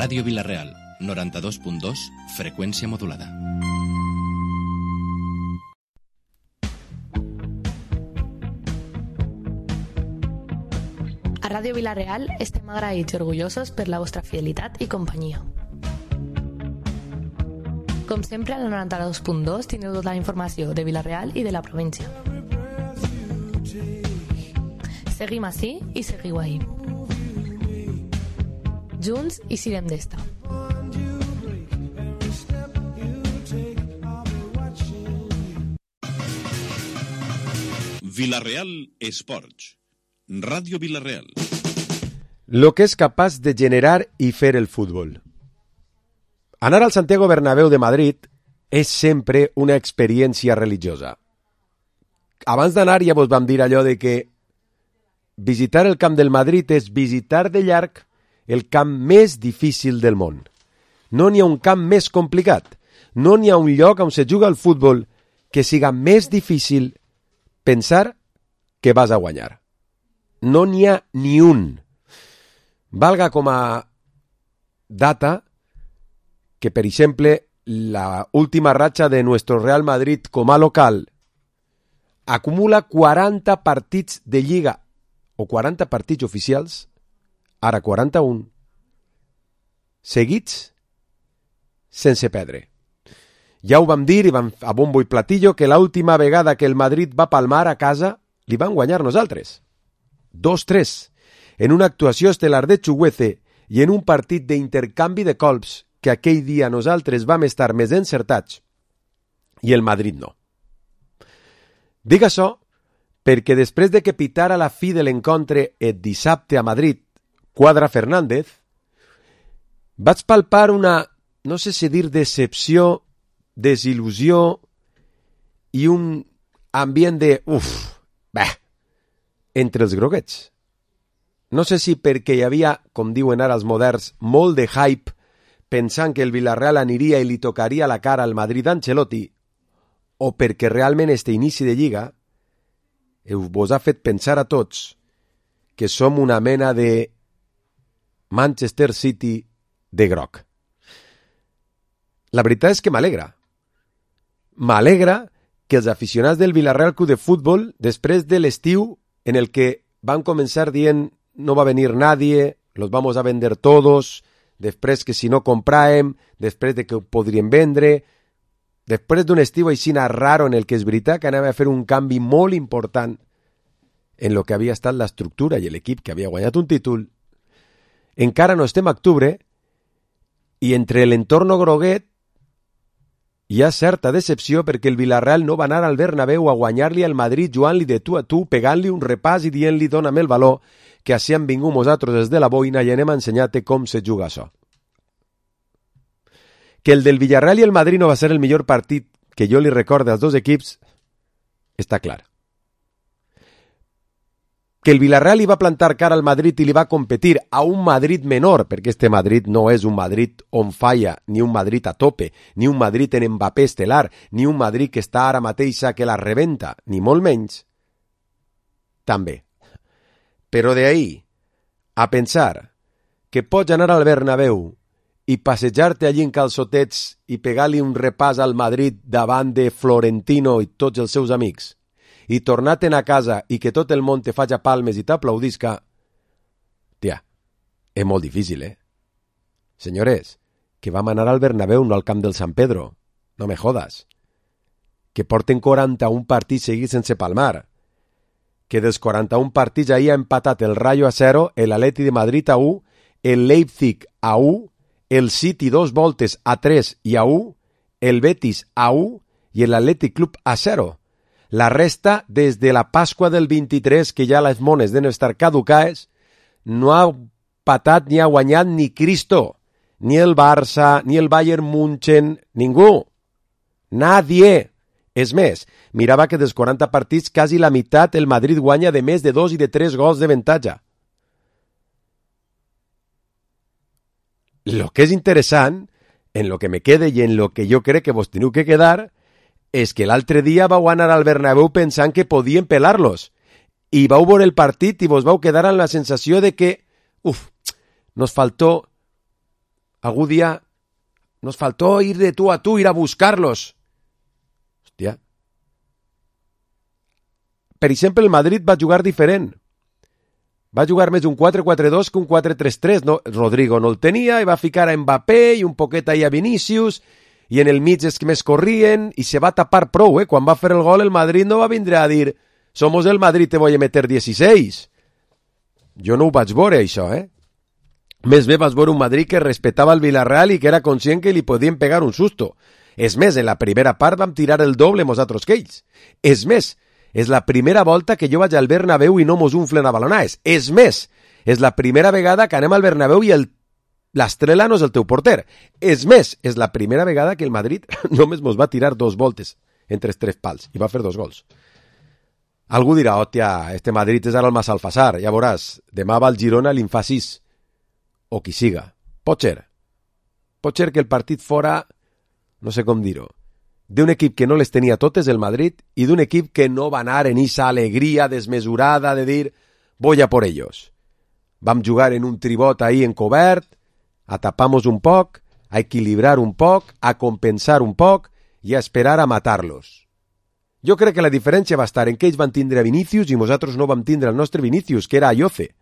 Ràdio Vila-real, 92.2, freqüència modulada. A Ràdio Vila-real estem agraïts i orgullosos per la vostra fidelitat i companyia. Com sempre, al 92.2 tindreu tota la informació de Vila-real i de la província. Seguim ací i seguiu ahí. Junts i sirem d'esta. Vila-real Esports. Ràdio Vila-real. Lo que és capaç de generar i fer el futbol. Anar al Santiago Bernabéu de Madrid és sempre una experiència religiosa. Abans d'anar ja vos vam dir allò de que visitar el camp del Madrid és visitar de llarg el camp més difícil del món. No n'hi ha un camp més complicat. No n'hi ha un lloc on se juga el futbol que siga més difícil pensar que vas a guanyar. No n'hi ha ni un. Valga com a data que, per exemple, la última ratxa de nuestro Real Madrid com a local acumula 40 partits de Lliga o 40 partits oficials, ara 41, seguits sense perdre. Ja ho vam dir i vam a bombo i platillo que l'última vegada que el Madrid va palmar a casa li van guanyar nosaltres. 2-3, en una actuació estel·lar de Chuguece i en un partit d'intercanvi de colps que aquell dia nosaltres vam estar més encertats i el Madrid no. Dic això perquè després de que pitara la fi de l'encontre el dissabte a Madrid Quadra Fernández, vaig palpar una, no sé si dir decepció, desil·lusió i un ambient de entre els groguets. No sé si perquè hi havia, com diuen ara els moderns, molt de hype pensant que el Villarreal aniria i li tocaria la cara al Madrid d'Ancelotti, o perquè realment este inici de Lliga vos ha fet pensar a tots que som una mena de Manchester City de groc. La veritat és que m'alegra. M'alegra que els aficionats del Villarreal Club de Futbol, després de l'estiu en el que van començar dient no va venir nadie, los vamos a vender todos, després que si no compràvem, després de que ho podríem vendre, després d'un estiu així raro en el que és veritat que anava a fer un canvi molt important en lo que havia estat l'estructura i l'equip que havia guanyat un títol, encara no estem a octubre i entre l'entorno groguet hi ha certa decepció perquè el Villarreal no va anar al Bernabéu a guanyar-li al Madrid jugant-li de tu a tu, pegant-li un repàs i dient-li dóna'm el valor que així han vingut nosaltres des de la boina i anem a ensenyar-te com se juga això. Que el del Villarreal i el Madrid no va ser el millor partit que jo li recorde als dos equips està clar. Que el Villarreal li va plantar cara al Madrid i li va competir a un Madrid menor, perquè este Madrid no és un Madrid on falla, ni un Madrid a tope, ni un Madrid en Mbappé estelar, ni un Madrid que està ara mateixa que la rebenta, ni molt menys, també. Però d'ahí a pensar que pots anar al Bernabéu i passejar-te allí en calçotets i pegar-li un repàs al Madrid davant de Florentino i tots els seus amics, i tornar-te'n a casa i que tot el món te faci palmes i t'aplaudisca, tia, és molt difícil, Senyores, que vam anar al Bernabéu, no al camp del San Pedro. No me jodas. Que porten 41 partits seguits sense palmar. Que dels 41 partits ahir ha empatat el Rayo a 0, l'Atleti de Madrid a 1, el Leipzig a 1, el City 2 voltes a 3 i a 1, el Betis a 1 i l'Atlètic Club a 0. La resta, des de la Pasqua del 23, que ja les mones deben estar caducades, no ha patat ni ha guanyat ni Cristo, ni el Barça, ni el Bayern München, ningú. Nadie. És més, mirava que dels 40 partits, quasi la meitat el Madrid guanya de més de 2 i de 3 gols de avantatge. Lo que és interessant, en lo que me quede i en lo que jo crec que vos teniu que quedar, és que l'altre dia vau anar al Bernabéu pensant que podien pelar-los i vau veure el partit i vos vau quedar amb la sensació de que nos faltó Algú dia nos faltó ir de tú a tú, ir a buscarlos. Hòstia. Per exemple, el Madrid va jugar diferent. Va jugar més un 4-4-2 que un 4-3-3. No, Rodrigo no el tenia i va ficar a Mbappé i un poquet ahí a Vinícius i en el mig és que més corrien i se va tapar prou, eh? Quan va fer el gol el Madrid no va vindre a dir somos el Madrid, te voy a meter 16. Jo no ho vaig veure, això, eh? Més bé vas veure un Madrid que respetava el Villarreal i que era conscient que li podien pegar un susto. És més, en la primera part vam tirar el doble nosaltres que ells. És més, és la primera volta que jo vaig al Bernabéu i no mos unflen a balonades. És més, és la primera vegada que anem al Bernabéu i l'estrela no és el teu porter. És més, és la primera vegada que el Madrid només mos va tirar 2 voltes entre els 3 pals i va fer 2 gols. Algú dirà, hòstia, este Madrid és ara el Massalfassar, ja veuràs, demà va al Girona i li'n fa 6. O qui siga. Pot ser que el partit fora, no sé com dir-ho, d'un equip que no les tenia totes, el Madrid, i d'un equip que no va anar en esa alegria desmesurada de dir voy a por ellos. Vam jugar en un tribot ahí encobert, a tapar-nos un poc, a equilibrar un poc, a compensar un poc i a esperar a matar-los. Jo crec que la diferència va estar en que ells van tindre a Vinícius i nosaltres no vam tindre el nostre Vinícius, que era Ayoce.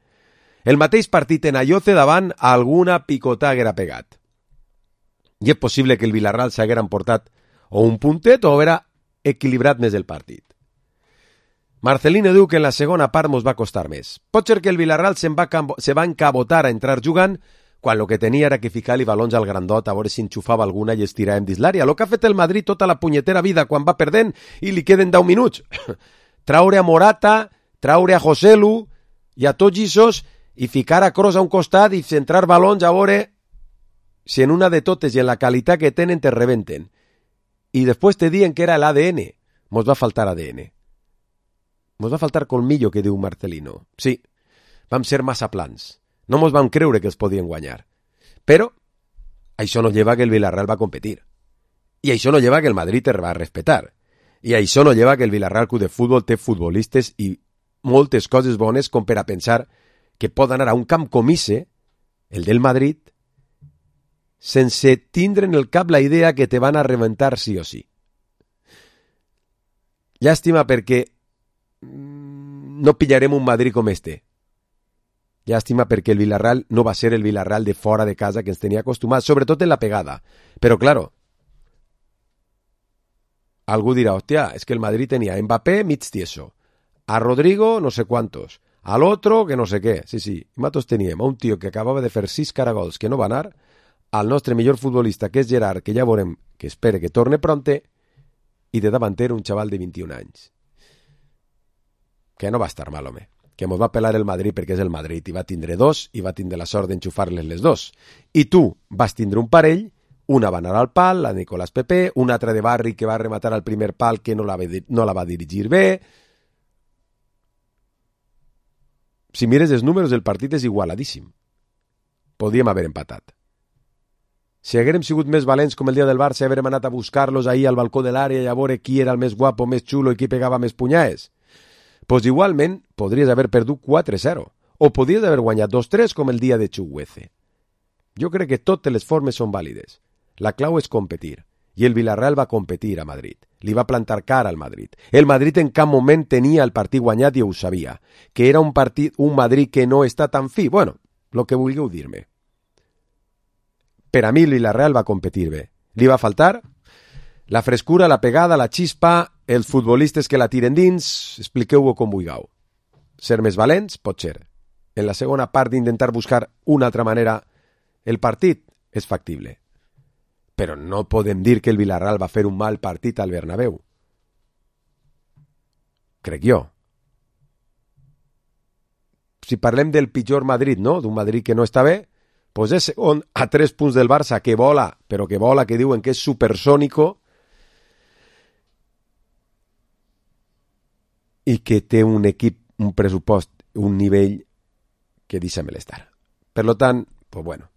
El mateix partit en Ayoce davant alguna picotà haguera pegat. I és possible que el Villarreal s'haguera emportat o un puntet o haguera equilibrat més el partit. Marcelino diu que en la segona part mos va costar més. Pot ser que el Villarreal se va encabotar a entrar jugant quan el que tenia era que ficar-li balons al grandot a veure si enxufava alguna i estiràvem dins l'àrea. El que ha fet el Madrid tota la punyetera vida quan va perdent i li queden 10 minuts. Traure a Morata, traure a Joselu i a tots aquests i ficar a Kroos a un costat i centrar balons a veure si en una de totes i en la qualitat que tenen te rebenten. I després te diuen que era l'ADN. Mos va faltar ADN. Mos va faltar colmillo, que diu Marcelino. Sí, vam ser massa plans. No mos vam creure que els podien guanyar. Però això no lleva que el Villarreal va competir. I això no lleva que el Madrid te va respetar. I això no lleva que el Villarreal Club de Futbol té futbolistes i moltes coses bones com per a pensar que pot anar a un camp com ese, el del Madrid, sense tindre en el cap la idea que te van a reventar sí o sí. Llàstima perquè no pillarem un Madrid com este. Llàstima perquè el Villarreal no va ser el Villarreal de fora de casa que ens tenia acostumats, sobretot en la pegada. Però, claro, algú dirà, hòstia, és que el Madrid tenia a Mbappé mig tieso, a Rodrigo no sé quantos, al otro que no sé què. Sí, sí, i nosaltres teníem a un tio que acabava de fer 6 caragols que no va anar, al nostre millor futbolista, que és Gerard, que ja veurem, que espere que torne pronte, i de davanter un xaval de 21 anys. Que no va estar mal, home. Que mos va pelar el Madrid perquè és el Madrid i va tindre 2 i va tindre la sort d'enxufar-les les 2. I tu vas tindre un parell, una va anar al pal, la Nicolás Pepe, una altra de Barri que va rematar al primer pal que no la va dirigir bé. Si mires els números, el partit és igualadíssim. Podíem haver empatat. Si haguérem sigut més valents com el dia del Barça i haguérem anat a buscar-los ahir al balcó de l'àrea i a veure qui era el més guapo, més xulo i qui pegava més punyades, pues igualment podries haver perdut 4-0 o podries haver guanyat 2-3 com el dia de Chukwueze. Jo crec que totes les formes són vàlides. La clau és competir. I el Villarreal va competir a Madrid. Li va plantar cara al Madrid. El Madrid en cap moment tenia el partit guanyat i ho sabia. Que era un Madrid que no està tan fi. Bueno, el que vulgueu dir-me. Per a mi el Villarreal va competir bé. Li va faltar la frescura, la pegada, la xispa, els futbolistes que la tiren dins, expliqueu-ho com vulgueu. Ser més valents, pot ser. En la segona part d'intentar buscar una altra manera el partit és factible. Però no podem dir que el Villarreal va fer un mal partit al Bernabéu. Crec jo. Si parlem del pitjor Madrid, no? D'un Madrid que no està bé, doncs és segon a 3 punts del Barça, que vola, però que vola, que diuen que és supersònico, i que té un equip, un pressupost, un nivell que deixa-me l'estar. Per tant, pues bueno,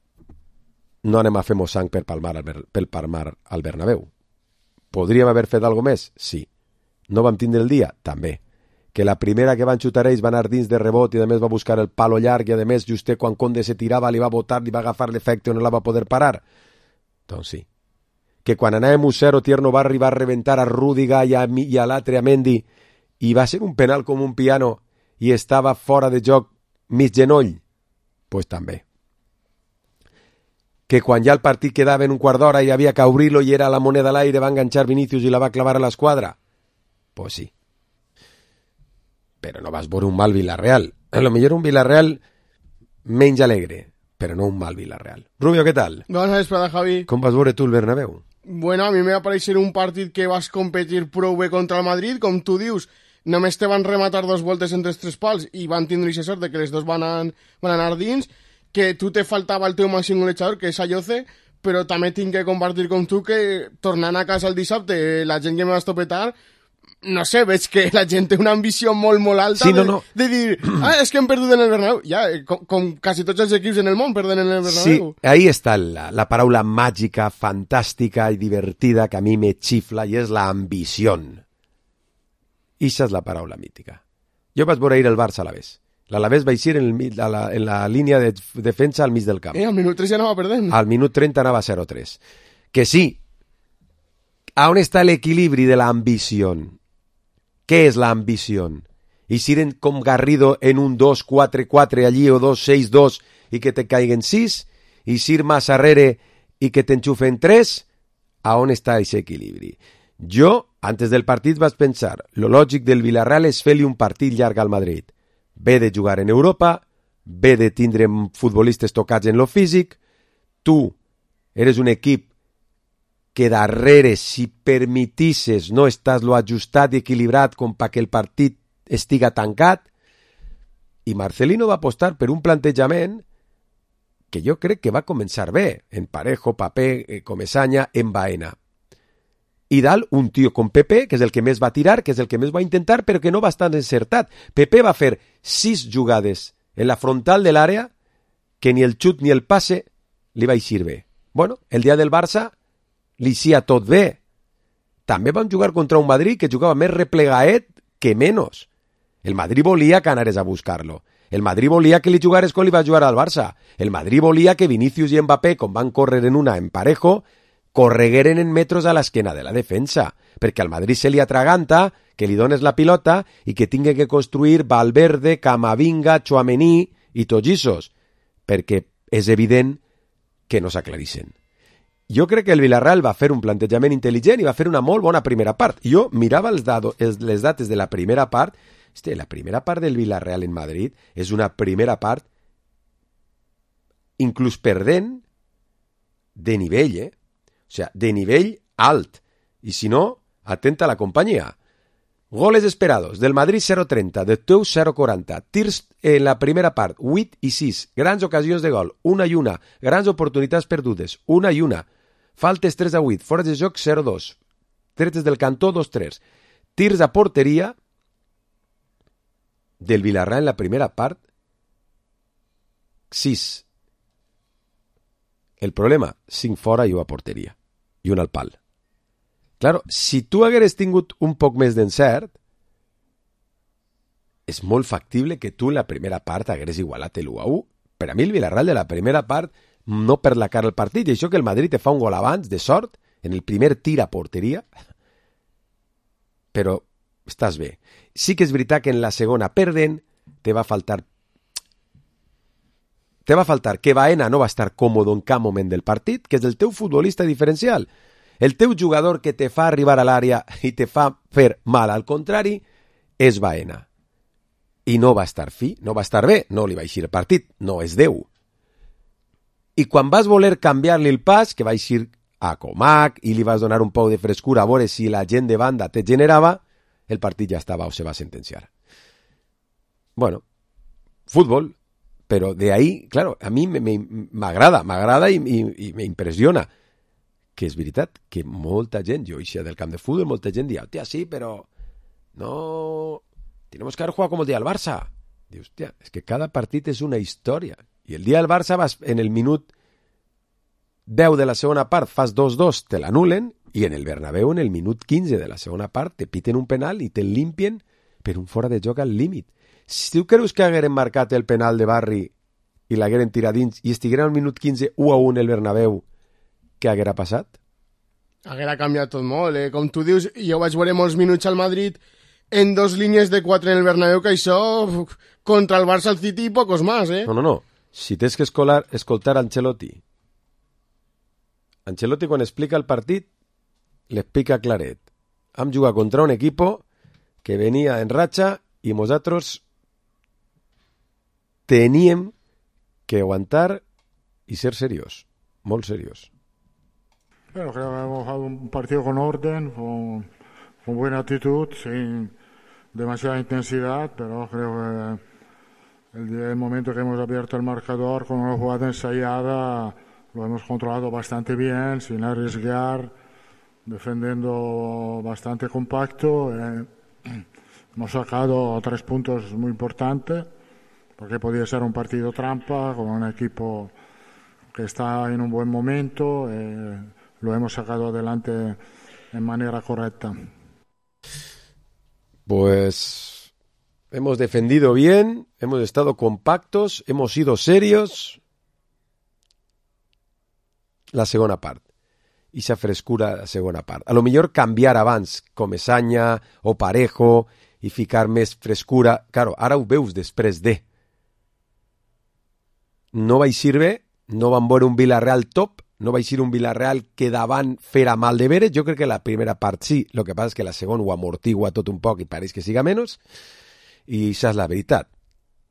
no anem a fer mossang per palmar al Bernabéu. Podríem haver fet alguna més? Sí. No vam tindre el dia? També. que la primera que van xutar ells va anar dins de rebot i a més va buscar el palo llarg i a més just quan Conde se tirava li va botar, li va agafar l'efecte o no la va poder parar. Doncs sí. Que quan anàvem 1-0 Tierno va arribar a reventar a Rüdiger i a l'altre a Mendy i va ser un penal com un piano i estava fora de joc mig genoll? Pues també. Que quan ja el partit quedava en un quart d'hora i havia que obrir-lo i era la moneda a l'aire, va enganxar Vinícius i la va clavar a l'esquadra? Pues sí. Però no vas veure un mal Villarreal. A lo millor un Villarreal menys alegre, però no un mal Villarreal. Rubio, què tal? Bona vesprada, Javi. Com vas veure tu el Bernabéu? Bueno, a mi me va parecer un partit que vas competir prou bé contra el Madrid, com tu dius, només te van rematar 2 voltes entre els 3 pals i van tindre aquesta sort de que les dos van anar dins, que tu te faltava el teu màxim golejador, que és Ayoce, però també tinc que compartir com tu que tornant a casa el dissabte, la gent que me va estopetar, no sé, veig que la gent té una ambició molt, molt alta sí, no. de dir, és que hem perdut en el Bernabéu. Ja, com quasi tots els equips en el món perden en el Bernabéu. Sí, ahí està la paraula màgica, fantàstica i divertida que a mi me xifla i és la ambició. Ixa és la paraula mítica. Jo vaig veure ahir el Barça a l'Alavés. L'Alavés va eixir en la línia de defensa al mig del camp. Al minut 3 ja anava perdent. Al minut 30 anava 0-3. Que sí, on està l'equilibri de l'ambició? Què és l'ambició? Eixir com Garrido en un 2-4-4 allí o 2-6-2 i que te caiguen 6? Eixir más arrere i que t'enxufen 3? A on està aquest equilibri? Jo, antes del partit, vaig pensar, lo lògic del Villarreal és fer-li un partit llarg al Madrid. Ve de jugar en Europa, ve de tindre futbolistes tocats en lo físic, tu eres un equip que darrere, si permetisses, no estàs lo ajustat i equilibrat com perquè el partit estiga tancat, i Marcelino va apostar per un plantejament que jo crec que va començar bé, en Parejo, Papé, Comesaña, en Baena. I dalt un tio com Pepe, que és el que més va tirar, que és el que més va intentar, però que no va estar encertat. Pepe va fer 6 jugades en la frontal de l'àrea que ni el xut ni el passe li va eixir bé. Bueno, el dia del Barça li eixia tot bé. També van jugar contra un Madrid que jugava més replegaet que menys. El Madrid volia que anares a buscar-lo. El Madrid volia que li jugares com li va jugar al Barça. El Madrid volia que Vinícius i Mbappé, com van córrer en una en Parejo, corregueren en metros a l'esquena de la defensa, perquè al Madrid se li atraganta que li dones la pilota i que tingui que construir Valverde, Camavinga, Tchouaméni i Tollisos, perquè és evident que no s'aclarixen. Jo crec que el Villarreal va fer un plantejament intel·ligent i va fer una molt bona primera part. Jo mirava les dates de la primera part. La primera part del Villarreal en Madrid és una primera part inclús perdent de nivell, O sea, de nivell alt. I si no, atenta a la companyia. Goles esperados. Del Madrid 0-30, del teu 0-40. Tirs en la primera part, 8 i 6. Grans ocasions de gol, 1 i 1. Grans oportunitats perdudes, 1 i 1. Faltes 3-8. Fora de joc 0-2. Tretes del cantó 2-3. Tirs a porteria del Villarreal en la primera part, 6. El problema, 5 fora i 1 a porteria. I 1 al pal. Claro, si tu hagueres tingut un poc més d'encert, és molt factible que tu en la primera part hagueres igualat l'1-1. Per a mi el Villarreal de la primera part no per la cara al partit, i això que el Madrid te fa un gol abans, de sort, en el primer tir a porteria, però estàs bé. Sí que és veritat que en la segona perden, te va faltar que Baena no va estar còmode en cap moment del partit, que és el teu futbolista diferencial. El teu jugador que te fa arribar a l'àrea i te fa fer mal al contrari és Baena. I no va estar fi, no va estar bé, no li va eixir el partit, no és Déu. I quan vas voler canviar-li el pas, que va eixir a Comac i li vas donar un poc de frescura a veure si la gent de banda te generava, el partit ja estava o se va sentenciar. Bueno, fútbol. Pero de ahí, claro, a mí m'agrada i me impressiona que és veritat que molta gent, jo eixia del camp de futbol, molta gent dia, hòstia, sí, però no, tenemos que haber jugado como el día del Barça. Diu, hòstia, és que cada partit és una història. I el dia del Barça vas en el minut 10 de la segona part, fas 2-2, te l'anulen, i en el Bernabéu, en el minut 15 de la segona part, te piten un penal i te limpien per un fora de joc al límit. Si tu creus que hagueren marcat el penal de Barri i l'hagueren tirat dins i estigueren al minut 15 1-1 el Bernabéu, què haguera passat? Haguera canviat tot molt, Com tu dius, jo vaig veure molts minuts al Madrid en 2 línies de 4 en el Bernabéu, que això contra el Barça, el City i pocos más, No. Si tens que escoltar Ancelotti. Ancelotti, quan explica el partit, l'explica claret. Hem jugat contra un equipo que venia en ratxa i nosaltres teníem que aguantar y ser serios, muy serios. Bueno, creo que hemos jugado un partido con orden, con buena actitud, sin demasiada intensidad, pero creo que el momento que hemos abierto el marcador con una jugada ensayada lo hemos controlado bastante bien, sin arriesgar, defendiendo bastante compacto. Hemos sacado 3 puntos muy importantes, porque podía ser un partido trampa con un equipo que está en un buen momento. Lo hemos sacado adelante en manera correcta. Pues hemos defendido bien, hemos estado compactos, hemos sido serios. La segona part. I esa frescura la segona part. A lo millor canviar abans Comesaña o Parejo i ficar més frescura. Claro, ara ho veus després de. No vaig ser bé, no van veure un Villarreal top, no vaig ser un Villarreal que davant fera mal de veres. Jo crec que la primera part sí, el que passa és que la segona ho amortigua tot un poc i pareix que siga menys, i això és la veritat.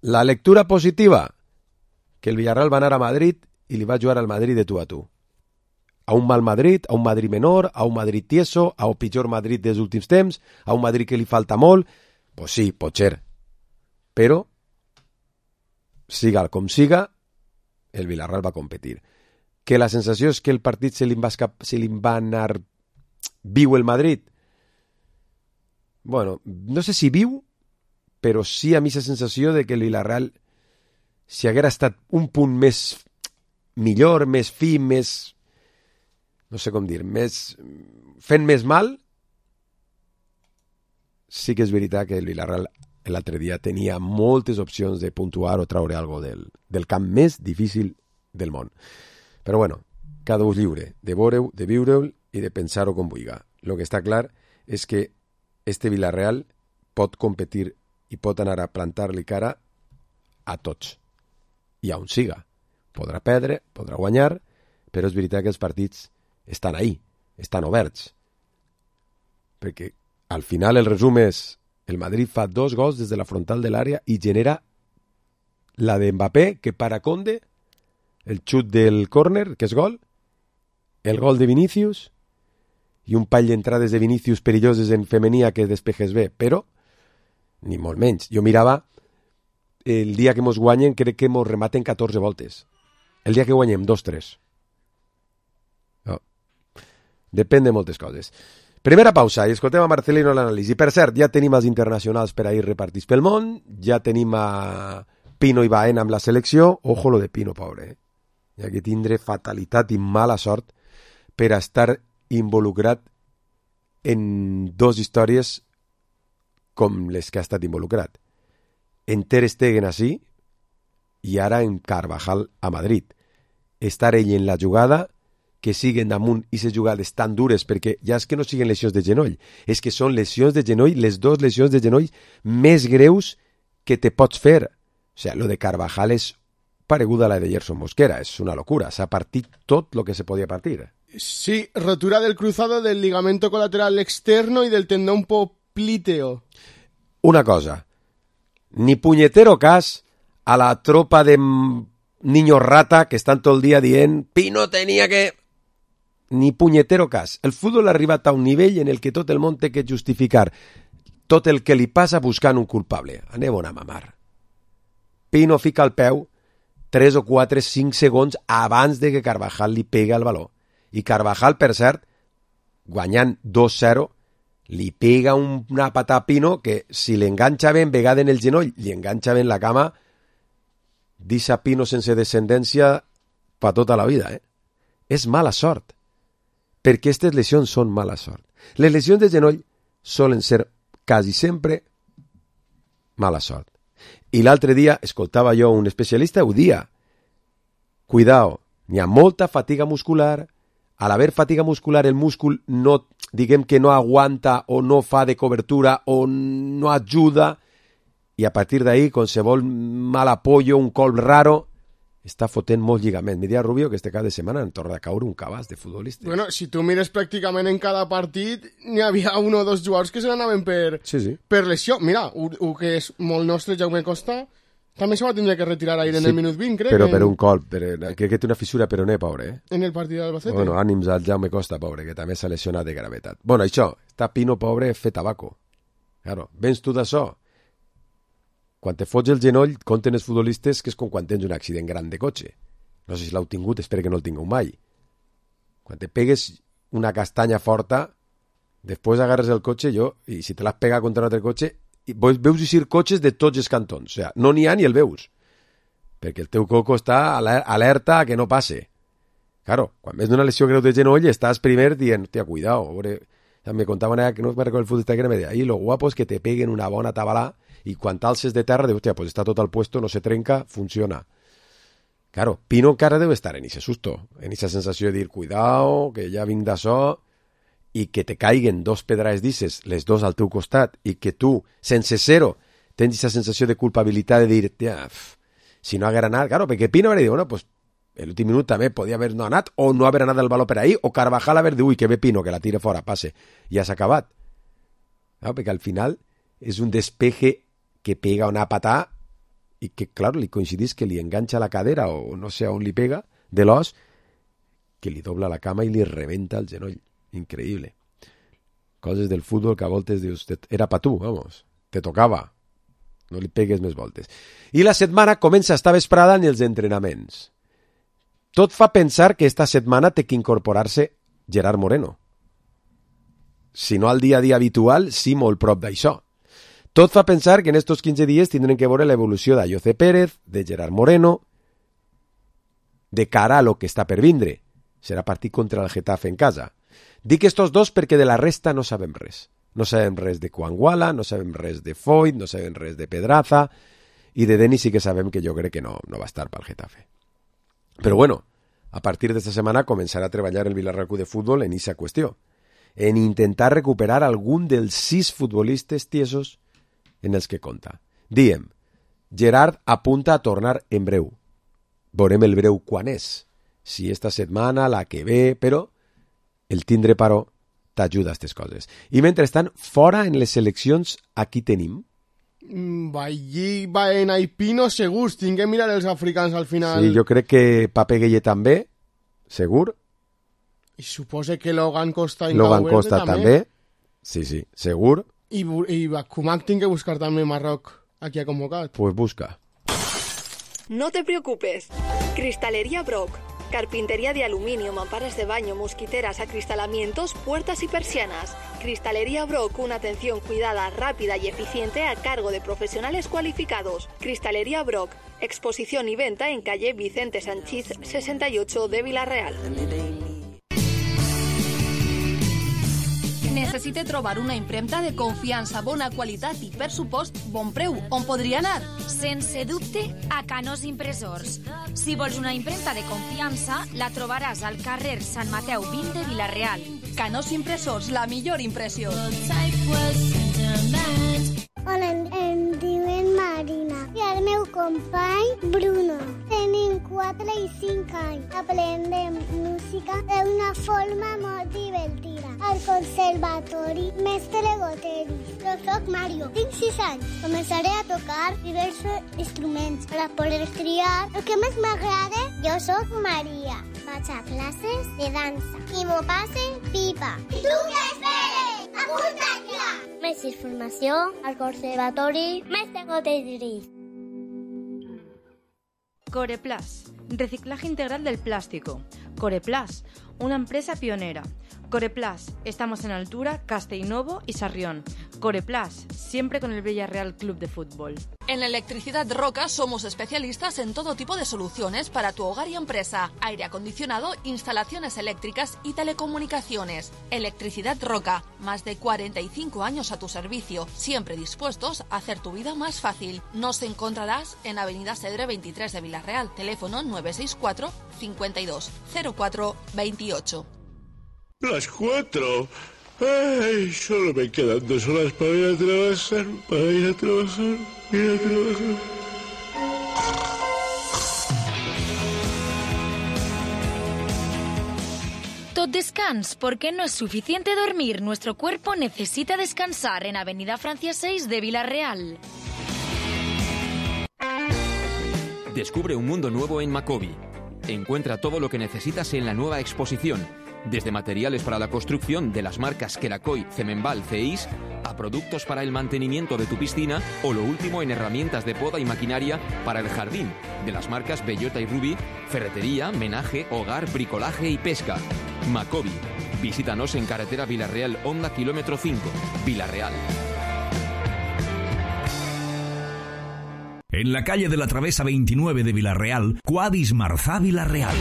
La lectura positiva, que el Villarreal va anar a Madrid i li va jugar al Madrid de tu a tu. A un mal Madrid, a un Madrid menor, a un Madrid tieso, a un pitjor Madrid dels últims temps, a un Madrid que li falta molt. Pues sí, pot ser. Però, siga com siga, el Villarreal va competir. Que la sensació és que el partit se li va anar viu el Madrid. Bueno, no sé si viu, però sí a mi la sensació de que el Villarreal, si haguera estat un punt més millor, més fi, més... no sé com dir, fent més mal, sí que és veritat que el Villarreal l'altre dia tenia moltes opcions de puntuar o traure alguna cosa del camp més difícil del món. Però bueno, cada un lliure de veure-ho, de viure-ho i de pensar-ho com vulgui. El que està clar és que este Villarreal pot competir i pot anar a plantar-li cara a tots. I on siga. Podrà perdre, podrà guanyar, però és veritat que els partits estan ahí, estan oberts. Perquè al final el resum és el Madrid fa 2 gols des de la frontal de l'àrea i genera la de Mbappé, que para Conde, el xut del córner, que és gol, el gol de Vinícius i un pall d'entrades de Vinícius perilloses en femení que despejes bé, però ni molt menys. Jo mirava el dia que mos guanyen, crec que mos rematen 14 voltes. El dia que guanyem 2-3. No. Depèn de moltes coses. Primera pausa i escoltem a Marcelino l'anàlisi. Per cert, ja tenim els internacionals per ahir repartits pel món, ja tenim a Pino i Baena amb la selecció. Ojo lo de Pino, pobre. Hi ha que tindre fatalitat i mala sort per estar involucrat en 2 històries com les que ha estat involucrat. En Ter Stegen així i ara en Carvajal a Madrid. Estar ell en la jugada, que siguen damunt i ces jugades tan dures, perquè ja és que no siguen lesions de genoll, és que són lesions de genoll, les 2 lesions de genoll més greus que te pots fer. O sigui, lo de Carvajal és pareguda a la de Gerson Mosquera, és una locura, s'ha partit tot lo que se podia partir. Sí, rotura del cruzado del ligamento colateral externo y del tendón popliteo. Una cosa, ni puñetero cas a la tropa de niños rata que estan tot el dia dient Pino tenia que... Ni punyetero cas. El futbol ha arribat a un nivell en el que tot el món té que justificar tot el que li passa buscant un culpable. Anem a mamar. Pino fica el peu 3 o 4, 5 segons abans de que Carvajal li pega el baló. I Carvajal, per cert, guanyant 2-0, li pega una patada a Pino que si l'enganxa ben vegada en el genoll, li enganxa ben la cama, deixa Pino sense descendència per tota la vida. És mala sort. Perquè aquestes lesions són mala sort. Les lesions de genoll solen ser quasi sempre mala sort. I l'altre dia escoltava jo un especialista, ho dia. Cuidao, n'hi ha molta fatiga muscular. A l'haver fatiga muscular, el múscul no, diguem que no aguanta o no fa de cobertura o no ajuda, i a partir d'ahí, qualsevol mal apoyo, un colp raro, està fotent molt lligament. Mira, Rubio, que este cap de setmana en torna a caure un cabàs de futbolistes. Bueno, si tu mires pràcticament en cada partit, n'hi havia un o dos jugadors que se n'anaven per lesió. Mira, el que és molt nostre, Jaume Costa, també se va tindre que retirar ahir en el minut 20, crec. Però per un colp, crec que té una fissura peroné, pobre. En el partit d'Albacete. Bueno, ànims al Jaume Costa, pobre, que també s'ha lesionat de gravetat. Bueno, això, està Pino, pobre, fet tabaco. Claro, vens tu d'això. Quan te fots el genoll, compten els futbolistes que és com quan tens un accident gran de cotxe. No sé si l'heu tingut, espero que no el tingueu mai. Quan te pegues una castanya forta, després agarres el cotxe, i si te l'has pegat contra un altre cotxe, veus eixir cotxes de tots els cantons. O sigui, no n'hi ha ni el veus. Perquè el teu coco està alerta a que no passe. Claro, quan ves d'una lesió greu de genoll, estàs primer dient, hòstia, cuidao. Me contaven que no me recordo el futbolista que me deia, ahí lo guapo es que te peguen una bona tabalà i quan t'alces de terra, dius, hòstia, pues està tot al puesto, no se trenca, funciona. Claro, Pino encara deu estar en ese susto, en esa sensació de dir, cuidao, que ja vinc d'això, i que te caiguen dos pedrades d'isses, les dos al teu costat, i que tu, sense ser-ho, tens esa sensació de culpabilitat de dir, tia, si no haguera anat, claro, perquè Pino hauria dit, bueno, pues, l'últim minut també podia haver no anat, o no haver anat el baló per ahí, o Carvajal haver dit, ui, que ve Pino, que la tire fora, passe, ja s'ha acabat. Claro, perquè al final és un despeje que pega una patà i que, claro, li coincidís que li enganxa la cadera o no sé on li pega de l'os, que li dobla la cama i li rebenta el genoll. Increïble. Coses del futbol que a voltes dius, era pa tu, vamos, te tocava. No li pegues més voltes. I la setmana comença esta vesprada en els entrenaments. Tot fa pensar que esta setmana té que incorporar-se Gerard Moreno. Si no al dia a dia habitual, sí molt prop d'això. Tot fa pensar que en estos 15 dies tindrem que veure l'evolució d'Ayoce Pérez, de Gerard Moreno, de cara a lo que està per vindre. Serà partit contra el Getafe en casa. Dic estos dos perquè de la resta no sabem res. No sabem res de Kwanguala, no sabem res de Foyt, no sabem res de Pedraza, i de Denis sí que sabem que jo crec que no va estar pel Getafe. Però bueno, a partir d'esta setmana començarà a treballar el Villarreal Club de Futbol en aquesta qüestió, en intentar recuperar algun dels 6 futbolistes tiesos en els que compta. Diem, Gerard apunta a tornar en breu. Veurem el breu quan és. Si esta setmana, la que ve, però el tindre paró t'ajuda a aquestes coses. I mentrestant, fora en les seleccions, aquí tenim? Allí va en Aipino segurs, tinc que mirar els africans al final. Sí, jo crec que Pape Gueye també, segur. I suposa que Logan Costa i Logan Costa també. Sí, segur. I Kumak tinc que buscar també Marroc, aquí ha convocat. Pues busca. No te preocupes. Cristalería Brock. Carpintería de aluminio, mamparas de baño, mosquiteras, acristalamientos, puertas y persianas. Cristalería Brock, una atención cuidada, rápida y eficiente a cargo de profesionales cualificados. Cristalería Brock, exposición y venta en calle Vicente Sanchís 68 de Vila-real. Necessite trobar una impremta de confiança, bona qualitat i, per supost, bon preu. On podria anar? Sense dubte, a Canós Impressors. Si vols una impremta de confiança, la trobaràs al carrer Sant Mateu 20 de Vila-real. Canós Impressors, la millor impressió. Hola, em diuen Marina i el meu company Bruno. Tenim 4 i 5 anys. Aprendem música d'una forma molt divertida. Al conservatori Mestre Goteri. Jo soc Mario, tinc 6 anys. Començaré a tocar diversos instruments per a poder triar el que més m'agrada. Jo soc Maria. Vaig a classes de dansa i m'ho passe pipa. I tu què esperes? Apunta't ja! Més informació al conservatori Mestre Goteri. Coreplas, reciclaje integral del plástico. Coreplas, una empresa pionera. Coreplas, estamos en Altura, Castellnovo y Sarrión. Coreplas, siempre con el Villarreal Club de Fútbol. En Electricidad Roca somos especialistas en todo tipo de soluciones para tu hogar y empresa. Aire acondicionado, instalaciones eléctricas y telecomunicaciones. Electricidad Roca, más de 45 años a tu servicio, siempre dispuestos a hacer tu vida más fácil. Nos encontrarás en Avenida Cedre 23 de Villarreal, teléfono 964 52 04 28. Las 4. Ay, solo me quedan 2 horas para ir a trabajar, Tot descans, porque no es suficiente dormir. Nuestro cuerpo necesita descansar en Avenida Francia 6 de Villarreal. Descubre un mundo nuevo en Macobi. Encuentra todo lo que necesitas en la nueva exposición. Desde materiales para la construcción de las marcas Kerakoy, Cemenbal, Ceis, a productos para el mantenimiento de tu piscina o lo último en herramientas de poda y maquinaria para el jardín, de las marcas Bellota y Ruby, ferretería, menaje, hogar, bricolaje y pesca. Macobi. Visítanos en carretera Villarreal, Honda kilómetro 5, Villarreal. En la calle de la Travesa 29 de Villarreal, Quadis Marzà Villarreal.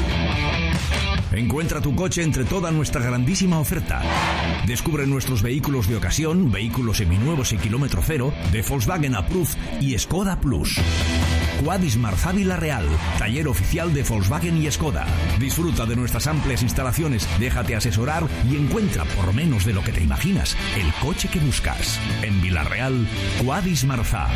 Encuentra tu coche entre toda nuestra grandísima oferta. Descubre nuestros vehículos de ocasión, vehículos seminuevos y kilómetro cero, de Volkswagen Approved y Skoda Plus. Quadis Marzà Villarreal, taller oficial de Volkswagen y Skoda. Disfruta de nuestras amplias instalaciones, déjate asesorar y encuentra, por menos de lo que te imaginas, el coche que buscas. En Villarreal, Quadis Marzà.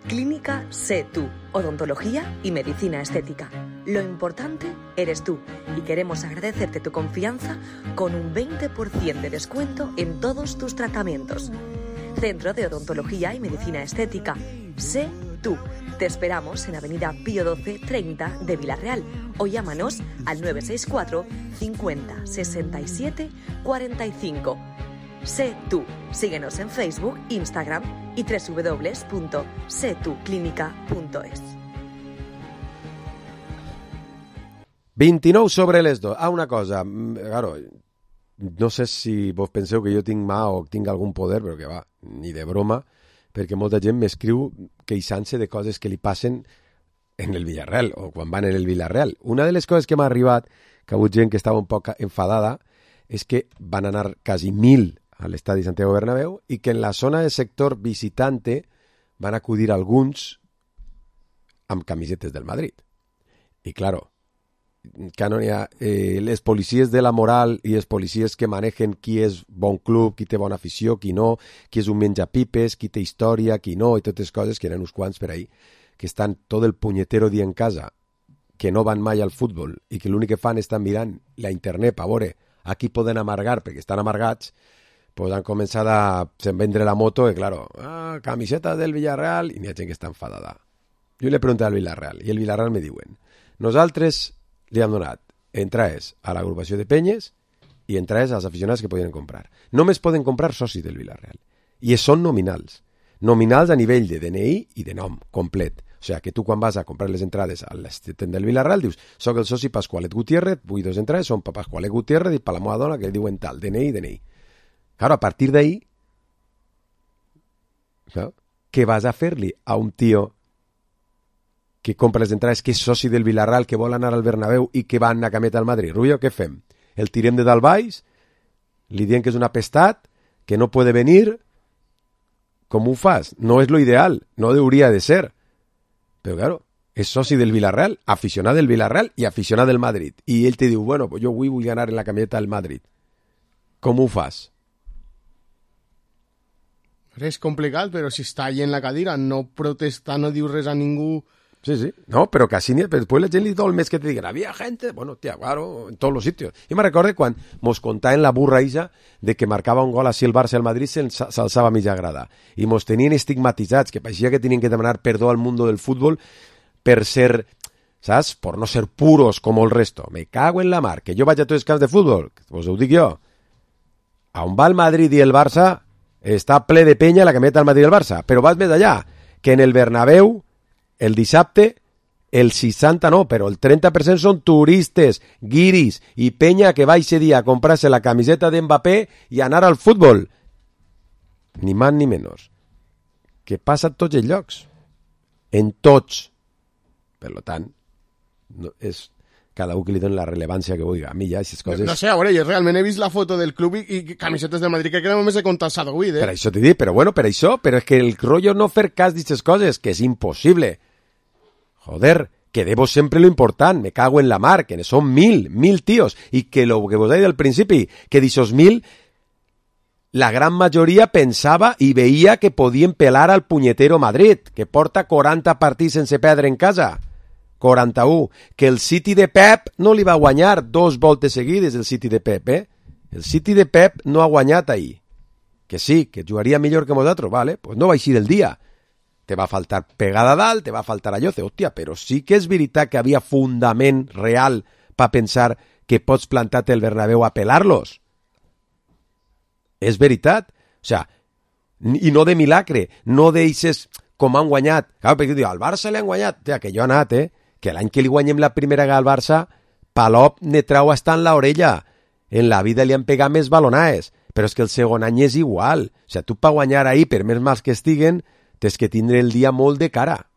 Clínica Sé Tú, odontología y medicina estética. Lo importante eres tú y queremos agradecerte tu confianza con un 20% de descuento en todos tus tratamientos. Centro de Odontología y Medicina Estética. Sé Tú. Te esperamos en Avenida Pío 12 30 de Villarreal o llámanos al 964 50 67 45. Sé Tú. Síguenos en Facebook, Instagram y www.setuclínica.es. 29 sobre les 2. Una cosa, claro, no sé si vos penseu que jo tinc mà o tinc algun poder, però que va, ni de broma, perquè molta gent m'escriu queixant-se de coses que li passen en el Villarreal o quan van en el Villarreal. Una de les coses que m'ha arribat, que ha hagut gent que estava un poc enfadada, és que van anar quasi 1.000 a l'estadi Santiago Bernabéu i que en la zona de sector visitante van acudir alguns amb camisetes del Madrid. I, claro, que no hi ha les policies de la moral i els policies que manegen qui és bon club, qui té bona afició, qui no, qui és un menjapipes, qui té història, qui no, i totes coses que eren uns quants per ahí, que estan tot el punyetero dia en casa, que no van mai al futbol i que l'únic que fan estan mirant la internet per veure a qui poden amargar perquè estan amargats, pues han començat a vendre la moto i, claro, camiseta del Villarreal, i n'hi ha gent que està enfadada. Jo li he preguntat al Villarreal i el Villarreal me diuen, nosaltres li han donat entrades a l'agrupació de penyes i entrades als aficionats que podien comprar. Només poden comprar socis del Villarreal. I són nominals. Nominals a nivell de DNI i de nom complet. O sigui, que tu quan vas a comprar les entrades a l'estend del Villarreal dius, soc el soci Pasqualet Gutiérrez, vull 2 entrades, són per Pasqualet Gutiérrez i per la meva dona que li diuen tal, DNI. Claro, a partir d'ahí, ¿no? ¿Qué vas a fer-li a un tío que compra les entrades, que és soci del Villarreal, que vol anar al Bernabéu i que va en una cameta al Madrid? Rubio, què fem? El tirem de dalt baix? Li diem que és un apestat? Que no puede venir? Com ho fas? No és lo ideal, no hauria de ser. Però, claro, és soci del Villarreal, aficionat del Villarreal i aficionat del Madrid. I ell te diu, bueno, pues jo avui vull anar en la cameta del Madrid. Com ho fas? És complicat, però si està allà en la cadira, no protesta, no diu res a ningú. Sí. No, pero casi ni... Después la gente todo el mes que te digan, había gente, bueno, tía, claro, en todos los sitios. Yo me recuerdo cuando mos contaban la burra esa de que marcaba un gol así el Barça al Madrid, s'alçava a mitja grada. I mos tenien estigmatitzats, que parecía que tenien que demanar perdó al mundo del fútbol per ser, ¿sabes? Por no ser puros como el resto. Me cago en la mar, que jo vaig a tots els camps de futbol, us ho dic jo. A on va el Madrid i el Barça, està ple de penya la cameta del Madrid i el Barça, però vas més allà, que en el Bernabéu el dissabte el 60 no, però el 30% són turistes, guiris i penya que va ese dia a comprar-se la camiseta d'Mbappé i anar al futbol. Ni més ni menys. Que passa a tots els llocs. En tots. Per tant, no, és cada un que li doni la rellevància que vulgui. A mi ja, aquestes coses... No sé, a veure, jo realment he vist la foto del club i camisetes del Madrid, que només he contat Sadouid, Per això t'he dit, però bueno, per això, però és que el rotllo no fer cas d'aquestes coses, que és impossible. Joder, que debo sempre lo important, me cago en la mar, que son 1.000 tíos, y que lo que vos he dit al principi, que d'esos 1.000, la gran majoria pensava i veia que podien pelar al punyetero Madrid, que porta 40 partits sense perdre en casa. 41. Que el City de Pep no li va guanyar 2 voltes seguides, el City de Pep, El City de Pep no ha guanyat ahir. Que sí, que jugaria millor que nosaltres, vale, pues no va eixir el dia. Te va faltar pegada dalt, te va faltar allò, hòstia, però sí que és veritat que havia fundament real per pensar que pots plantar-te el Bernabéu a pelar-los. És veritat. O sea, i no de milagre, no deixes com han guanyat. Clar, perquè diu, al Barça li han guanyat. Tia, que jo he anat, que l'any que li guanyem la primera al Barça, Palop ne trau hasta en l'orella. En la vida li han pegat més balonaes, però és que el segon any és igual. O sea, tu per guanyar ahir, per més mals que estiguen, tens que tindre el dia molt de cara.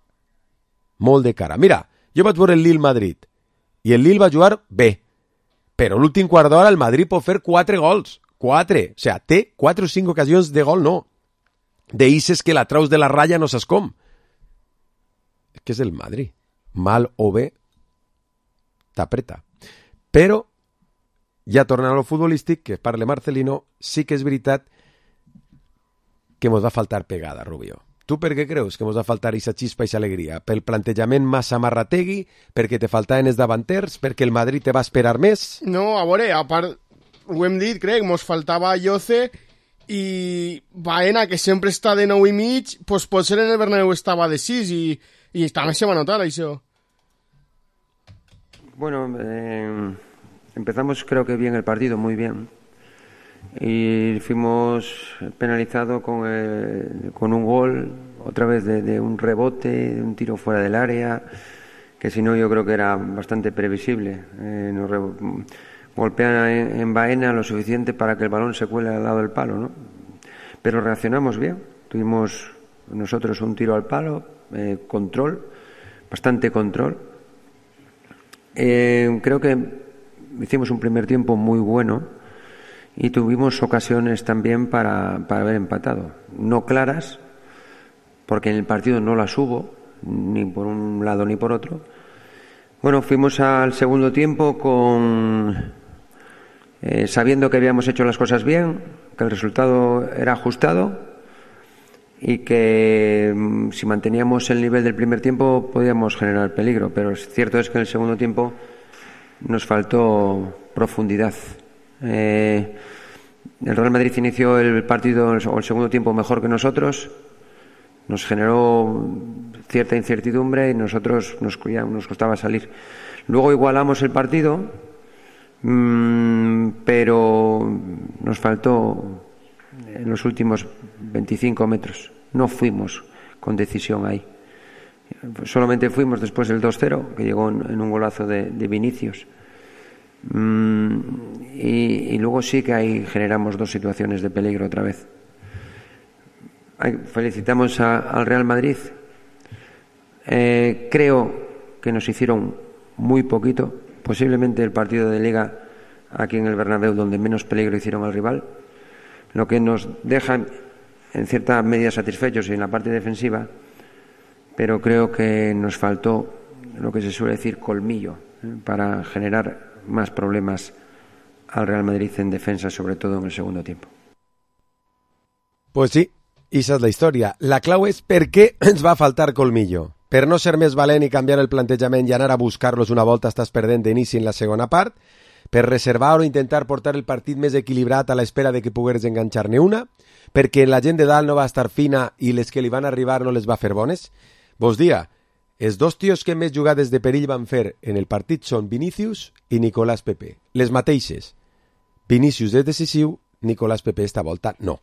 Molt de cara. Mira, jo vaig veure el Lille-Madrid, i el Lille va jugar bé, però l'últim quart d'hora el Madrid pot fer 4 gols. 4. O sea, té 4 o 5 ocasions de gol, no. Deixes que la traus de la ratlla no saps com. És que és el Madrid. Mal o bé, t'apreta. Però, ja tornant a lo futbolístic, que parle Marcelino, sí que és veritat que mos va faltar pegada, Rubio. Tu per què creus que mos va faltar aquesta xispa i aquesta alegria? Pel plantejament massa marrategui? Perquè te faltaven els davanters? Perquè el Madrid te va esperar més? No, a veure, a part, ho hem dit, crec, mos faltava Lloce i Baena, que sempre està de 9,5, pues potser en el Bernabéu estava de 6 i també se va notar això. Bueno, empezamos creo que bien el partido, muy bien. Y fuimos penalizados con un gol, otra vez de un rebote, de un tiro fuera del área, que si no yo creo que era bastante previsible. Nos golpean en Baena lo suficiente para que el balón se cuele al lado del palo, ¿no? Pero reaccionamos bien, tuvimos nosotros un tiro al palo, control, bastante control. Creo que hicimos un primer tiempo muy bueno y tuvimos ocasiones también para haber empatado. No claras, porque en el partido no las hubo, ni por un lado ni por otro. Bueno, fuimos al segundo tiempo sabiendo que habíamos hecho las cosas bien, que el resultado era ajustado y que si manteníamos el nivel del primer tiempo podíamos generar peligro, pero es cierto es que en el segundo tiempo nos faltó profundidad. El Real Madrid inició el partido o el segundo tiempo mejor que nosotros, nos generó cierta incertidumbre y nosotros nos costaba salir. Luego igualamos el partido, pero nos faltó en los últimos 25 metros. No fuimos con decisión ahí. Solamente fuimos después del 2-0, que llegó en un golazo de Vinicius. Y luego sí que ahí generamos 2 situaciones de peligro otra vez. Felicitamos al Real Madrid. Creo que nos hicieron muy poquito, posiblemente el partido de Liga aquí en el Bernabéu donde menos peligro hicieron al rival, lo que nos deja en cierta medida satisfechos en la parte defensiva, pero creo que nos faltó lo que se suele decir colmillo, para generar más problemas al Real Madrid en defensa, sobre todo en el segundo tiempo. Pues sí, esa és la història. La clau és per què ens va faltar colmillo. Per no ser més valent i canviar el plantejament i anar a buscar-los una volta estàs perdent d'inici en la segona part, per reservar o intentar portar el partit més equilibrat a l'espera de que pogueres enganxar-ne una, perquè la gent de dalt no va estar fina i les que li van arribar no les va fer bones. Vos dia, els 2 tios que més jugades de perill van fer en el partit són Vinicius i Nicolás Pepe. Les mateixes. Vinicius és decisiu, Nicolás Pepe esta volta no.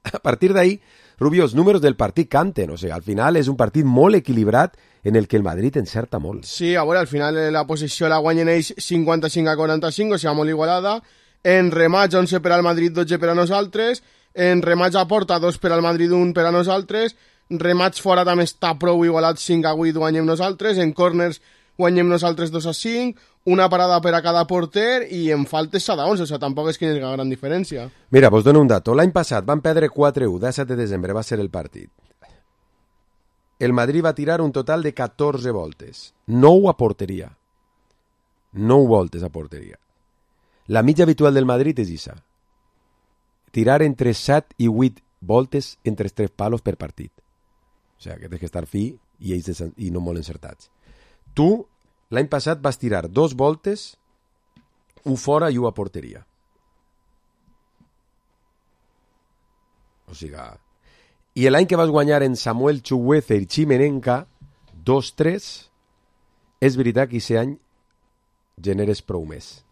A partir d'ahí, Rubio, els números del partit canten, o sigui, al final és un partit molt equilibrat en el que el Madrid encerta molt. Sí, a veure, al final la possessió la guanyen ells 55-45, o sigui, molt igualada. En remats, 11 per al Madrid, 12 per a nosaltres. En remats a porta, 2 per al Madrid, 1 per a nosaltres. Remats fora també està prou igualat, 5-8 guanyem nosaltres. En corners guanyem nosaltres 2-5. Una parada per a cada porter i en faltes s'ha d'11, o sigui, tampoc és que hi hagi gran diferència. Mira, vos dono un dato. L'any passat van perdre 4-1, 17 de desembre va ser el partit. El Madrid va tirar un total de 14 voltes. 9 a porteria. 9 voltes a porteria. La mitja habitual del Madrid és això. Tirar entre 7 i 8 voltes entre els 3 palos per partit. O sigui, que tens que estar fi i ells i no molt encertats. Tu, l'any passat vas tirar 2 voltes, un fora i un a porteria. O sigui... I l'any que vas guanyar en Samuel Chukwueze i Chimenenka 2-3, és veritat que aquest any generes prou més.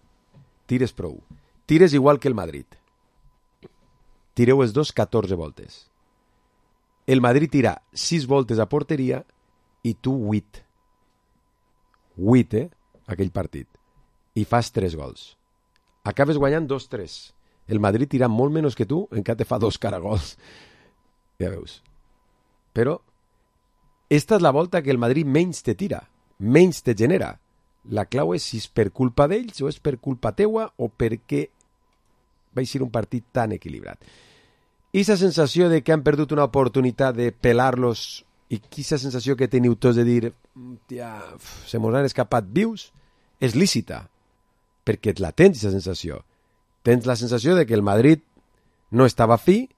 Tires prou. Tires igual que el Madrid. Tireu els dos 14 voltes. El Madrid tira 6 voltes a porteria i tu 8. 8, aquell partit. I fas 3 gols. Acabes guanyant 2-3. El Madrid tira molt menys que tu, encara te fa 2 caragols. Ja veus. Però esta és la volta que el Madrid menys te tira, menys te genera. La clau és si és per culpa d'ells o és per culpa teua o perquè va ser un partit tan equilibrat. I aquesta sensació de que han perdut una oportunitat de pelar-los i aquesta sensació que teniu tots de dir se mos han escapat vius és lícita, perquè la tens, aquesta sensació. Tens la sensació de que el Madrid no estava fi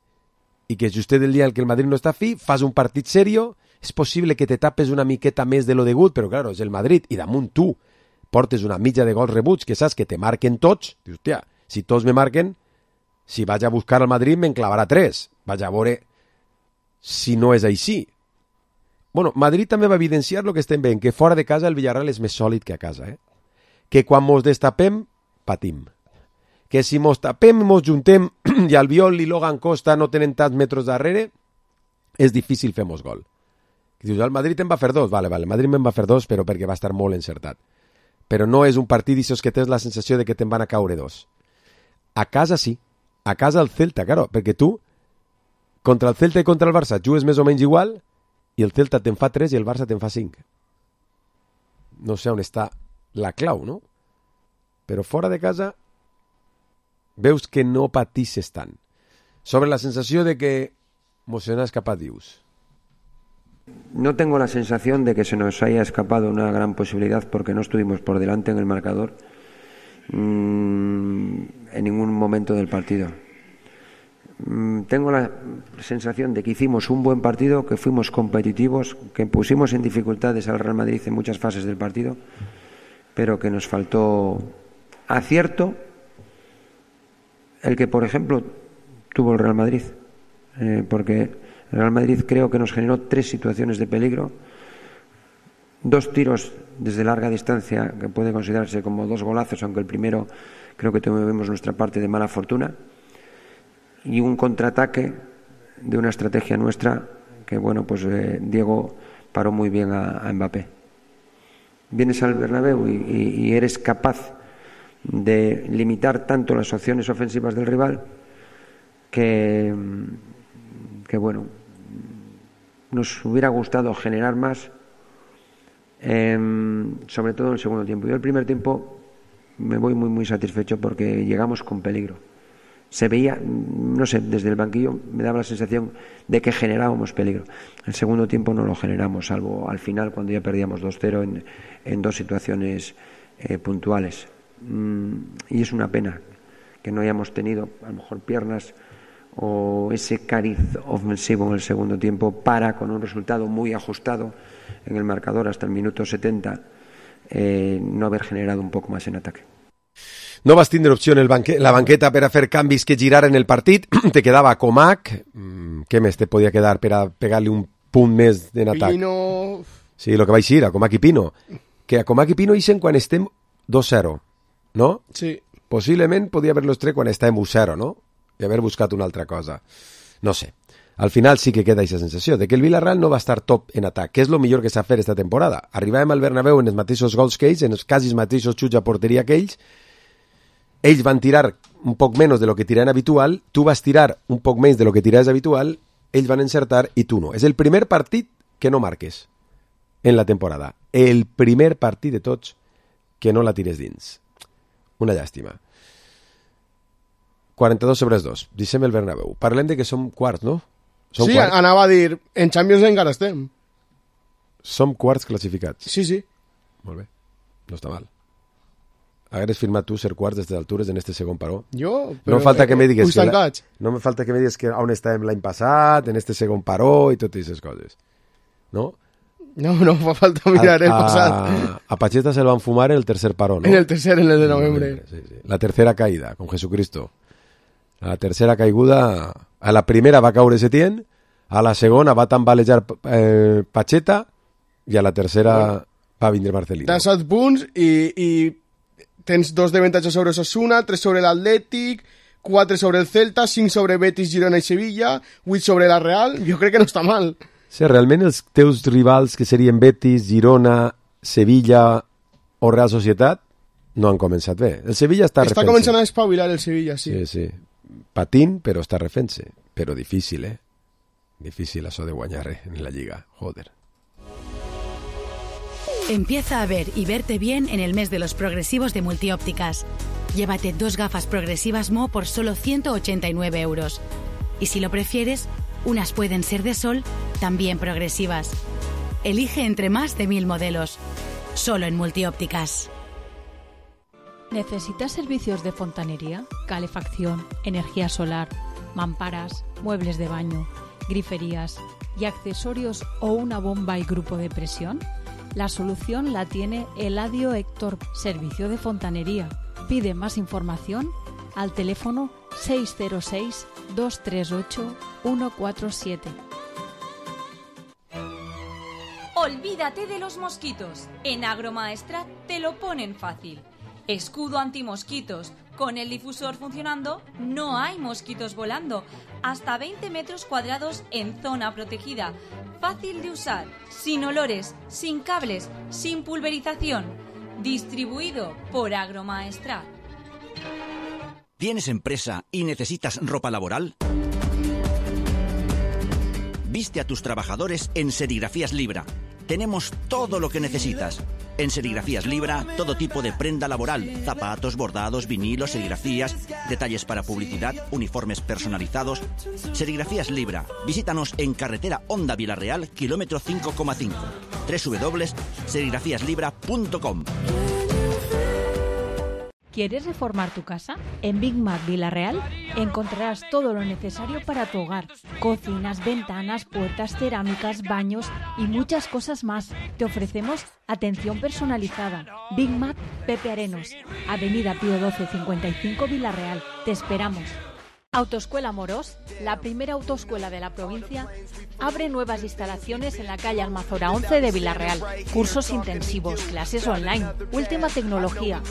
i que just el dia en què el Madrid no està fi, fas un partit serio, és possible que te tapes una miqueta més de lo degut, però claro, és el Madrid, i damunt tu portes una mitja de gols rebuts, que saps que te marquen tots, dius, hòstia, si tots me marquen, si vaig a buscar al Madrid me'n clavarà 3, vaig a veure si no és així. Bueno, Madrid també va evidenciar el que estem veient, que fora de casa el Villarreal és més sòlid que a casa, que quan mos destapem, patim. Que si mos tapem, mos juntem i Albiol i Logan Costa no tenen tants metres darrere, és difícil fer-mos gol. I dius, el Madrid en va fer 2, vale, el Madrid me'n va fer 2, però perquè va estar molt encertat. Però no és un partit d'aixòs que tens la sensació de que te'n van a caure 2. A casa sí, a casa el Celta, claro, perquè tu, contra el Celta i contra el Barça, jugues més o menys igual, i el Celta te'n fa 3 i el Barça te'n fa 5. No sé on està la clau, no? Però fora de casa veus que no patisses tant. Sobre la sensació de que mos se nos ha escapado Dios. No tengo la sensación de que se nos haya escapado una gran posibilidad porque no estuvimos por delante en el marcador en ningún momento del partido. Tengo la sensación de que hicimos un buen partido, que fuimos competitivos, que pusimos en dificultades al Real Madrid en muchas fases del partido, pero que nos faltó acierto, el que, por ejemplo, tuvo el Real Madrid, porque el Real Madrid creo que nos generó 3 situaciones de peligro, 2 tiros desde larga distancia que puede considerarse como 2 golazos, aunque el primero creo que tuvimos nuestra parte de mala fortuna, y un contraataque de una estrategia nuestra que, bueno, pues Diego paró muy bien a Mbappé. Vienes al Bernabéu y eres capaz de limitar tanto las opciones ofensivas del rival que bueno, nos hubiera gustado generar más, sobre todo en el segundo tiempo. Yo el primer tiempo me voy muy satisfecho porque llegamos con peligro. Se veía, no sé, desde el banquillo me daba la sensación de que generábamos peligro. El segundo tiempo no lo generamos, salvo al final cuando ya perdíamos 2-0 en 2 situaciones puntuales. Y es una pena que no hayamos tenido a lo mejor piernas o ese cariz ofensivo en el segundo tiempo para, con un resultado muy ajustado en el marcador hasta el minuto 70, no haber generado un poco más en ataque. No vas tindre opció en la banqueta per a fer canvis que giraren el partit. Te quedava Comac. Què més te podia quedar per a pegar-li un punt més en atac? Pino... Sí, el que vaig dir, a Comac i Pino. Que a Comac i Pino ixen quan estem 2-0, no? Sí. Possiblement podia haver-los tret quan estàvem 1-0, no? I haver buscat una altra cosa. No sé. al final sí que queda aquesta sensació de que el Villarreal no va estar top en atac, que és el millor que s'ha fet esta temporada. Arribàvem al Bernabéu en els mateixos gols que ells, en els quasi mateixos xuts a porteria que ells van tirar un poc menys de lo que tiraven habitual, tu vas tirar un poc menys de lo que tiraves habitual, ells van encertar i tu no. És el primer partit que no marques en la temporada. El primer partit de tots que no la tires dins. Una llàstima. 42/2. Deixem el Bernabéu. Parlem de que som quarts, no? Som sí, quarts. Anava a dir, en Champions encara estem. Som quarts classificats. Sí. Molt bé. No està mal. Hagueres firmat tu ser quarts des d'altures en este segon paró. Jo? No me falta que me digues no me falta que me digues que on estàvem l'any passat, en este segon paró i totes aquestes coses. No? No fa falta mirar el passat. A Pacheta se lo van fumar en el tercer paró, ¿no? En el tercer, en el de noviembre. Sí. La tercera caída, con Jesucristo. A la tercera caiguda, a la primera va caure Setién, a la segona va tambalejar Pacheta i a la tercera va vindre Marcelino. Tens 7 punts i tens 2 d'avantatge sobre Osasuna, 3 sobre l'Atlètic, 4 sobre el Celta, 5 sobre Betis, Girona i Sevilla, 8 sobre la Real. Jo crec que no està mal. Sí, realment els teus rivals, que serien Betis, Girona, Sevilla o Real Societat, no han començat bé. El Sevilla està refent-se. Està començant a espavilar el Sevilla, sí. Sí. Patint, però està refent-se. Però difícil, Difícil això de guanyar en la Lliga. Joder. Empieza a ver y verte bien en el mes de los progresivos de Multiópticas. Llévate 2 gafas progresivas Mo por solo 189 euros. Y si lo prefieres, unas pueden ser de sol, también progresivas. Elige entre más de 1000 modelos. Solo en Multiópticas. ¿Necesitas servicios de fontanería, calefacción, energía solar, mamparas, muebles de baño, griferías y accesorios o una bomba y grupo de presión? La solución la tiene Eladio Héctor, servicio de fontanería. Pide más información al teléfono 606-238-147. Olvídate de los mosquitos. En Agromaestrat te lo ponen fácil. Escudo antimosquitos. Con el difusor funcionando, no hay mosquitos volando. Hasta 20 metros cuadrados en zona protegida. Fácil de usar, sin olores, sin cables, sin pulverización. Distribuido por Agromaestrat. ¿Tienes empresa y necesitas ropa laboral? Viste a tus trabajadores en Serigrafías Libra. Tenemos todo lo que necesitas. En Serigrafías Libra, todo tipo de prenda laboral, zapatos, bordados, vinilos, serigrafías, detalles para publicidad, uniformes personalizados. Serigrafías Libra. Visítanos en carretera Honda Villarreal, kilómetro 5,5. www.serigrafíaslibra.com. ¿Quieres reformar tu casa? En Big Mac Villarreal encontrarás todo lo necesario para tu hogar. Cocinas, ventanas, puertas, cerámicas, baños y muchas cosas más. Te ofrecemos atención personalizada. Big Mac Pepe Arenos, Avenida Pío 12 55 Villarreal. Te esperamos. Autoescuela Morós, la primera autoescuela de la provincia, abre nuevas instalaciones en la calle Almazora 11 de Villarreal. Cursos intensivos, clases online, última tecnología.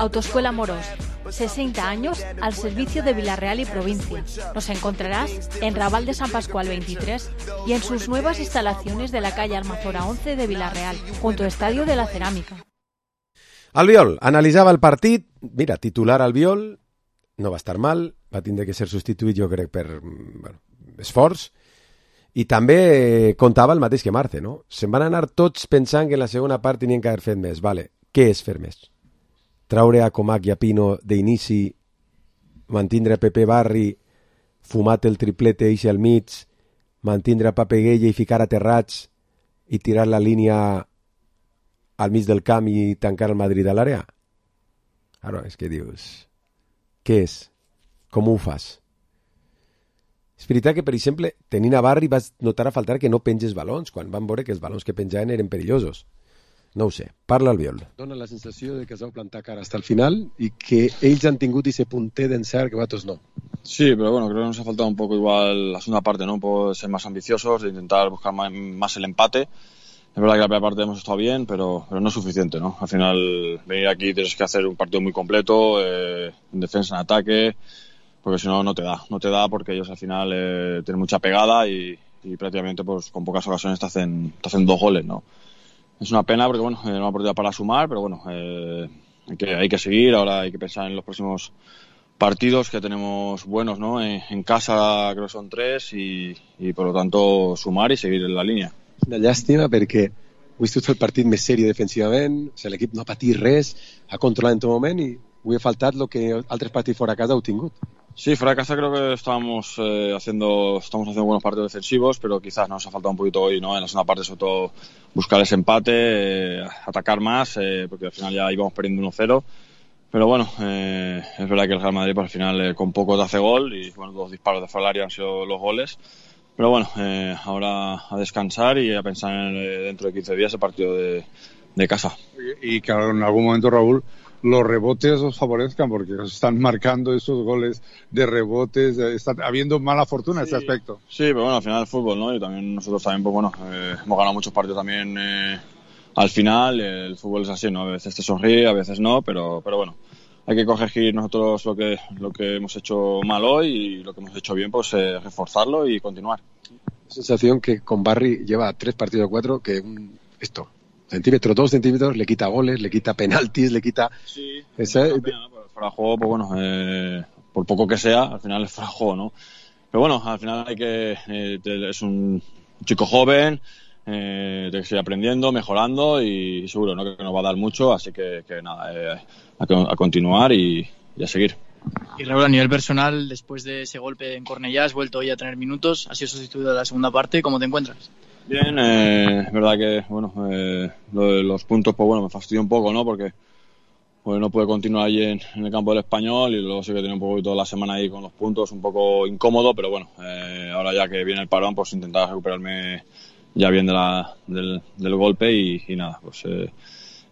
Autoescuela Morós, 60 años al servicio de Villarreal y provincia. Nos encontrarás en Raval de San Pascual 23 y en sus nuevas instalaciones de la calle Almazora 11 de Villarreal, junto al Estadio de la Cerámica. Albiol analitzava el partit, mira, titular Albiol, no va estar mal, va tindre que ser substituït, jo crec, per esforç, i també comptava el mateix que Marce, no? Se'n van anar tots pensant que en la segona part tenien que haver fet més. Vale, què és fer més? Traure a Comac i a Pino d'inici, mantindre a Pepe Barri, fumat el triplete eixe al mig, mantindre a Papeguella i ficar a Terrats i tirar la línia al mig del camp i tancar el Madrid a l'àrea? Claro, és que dius... Què és? Com ho fas? És veritat que, per exemple, tenint a Barri vas notar a faltar que no penges balons, quan van veure que els balons que penjaven eren perillosos. No ho sé. Parla Albiol. Dóna la sensació de que es vau plantar cara hasta el final y que ells han tingut ese punter d'encert que vosaltres no. Sí, pero bueno, creo que nos ha faltado un poco igual la segunda parte, ¿no? Por ser más ambiciosos, de intentar buscar más el empate. Es verdad que la primera parte hemos estado bien, pero no es suficiente, ¿no? Al final, venir aquí tienes que hacer un partido muy completo, en defensa, en ataque, porque si no, no te da porque ellos al final tienen mucha pegada y prácticamente pues con pocas ocasiones te hacen 2 goles, ¿no? Es una pena porque, bueno, una oportunidad para sumar, pero bueno, hay que seguir, ahora hay que pensar en los próximos partidos que tenemos buenos, ¿no? En casa creo que son 3 y por lo tanto sumar y seguir en la línia. Una llàstima perquè avui ha estat el partit més serio defensivament, o sigui, l'equip no ha patit res, ha controlat en tot moment i avui ha faltat el que altres partits fora de casa heu tingut. Sí, fuera de casa creo que estamos haciendo buenos partidos defensivos, pero quizás nos ha faltado un poquito hoy, ¿no? En la segunda parte, sobre todo, buscar ese empate, atacar más, porque al final ya íbamos perdiendo 1-0. Pero bueno, es verdad que el Real Madrid pues, al final con poco te hace gol y bueno, 2 disparos de fuera del área han sido los goles. Pero bueno, ahora a descansar y a pensar dentro de 15 días el partido de casa. Y que en algún momento, Raúl, los rebotes os favorezcan porque os están marcando esos goles de rebotes, está habiendo mala fortuna en ese aspecto. Sí, pero bueno, al final el fútbol, ¿no? Y también nosotros también, pues bueno, hemos ganado muchos partidos también al final, el fútbol es así, ¿no? A veces te sonríe, a veces no, pero bueno, hay que corregir nosotros lo que hemos hecho mal hoy y lo que hemos hecho bien, pues reforzarlo y continuar. Sensación que con Barry lleva 3 partidos de 4 que centímetros, 2 centímetros, le quita goles, le quita penaltis, le quita... Sí, fuera de juego, pues bueno, por poco que sea, al final es fuera de juego, ¿no? Pero bueno, al final es un chico joven, tiene que seguir aprendiendo, mejorando y seguro, ¿no? Que nos va a dar mucho, así que nada, a continuar y a seguir. Y Raúl, a nivel personal, después de ese golpe en Cornellá, has vuelto hoy a tener minutos, has sido sustituido en la segunda parte, ¿cómo te encuentras? Bien, es verdad que bueno, los puntos pues bueno me fastidió un poco, ¿no? Porque pues no pude continuar allí en el campo del Español y luego sí que tenía un poco toda la semana ahí con los puntos, un poco incómodo, pero bueno, ahora ya que viene el parón, pues intentar recuperarme ya bien del golpe y nada, pues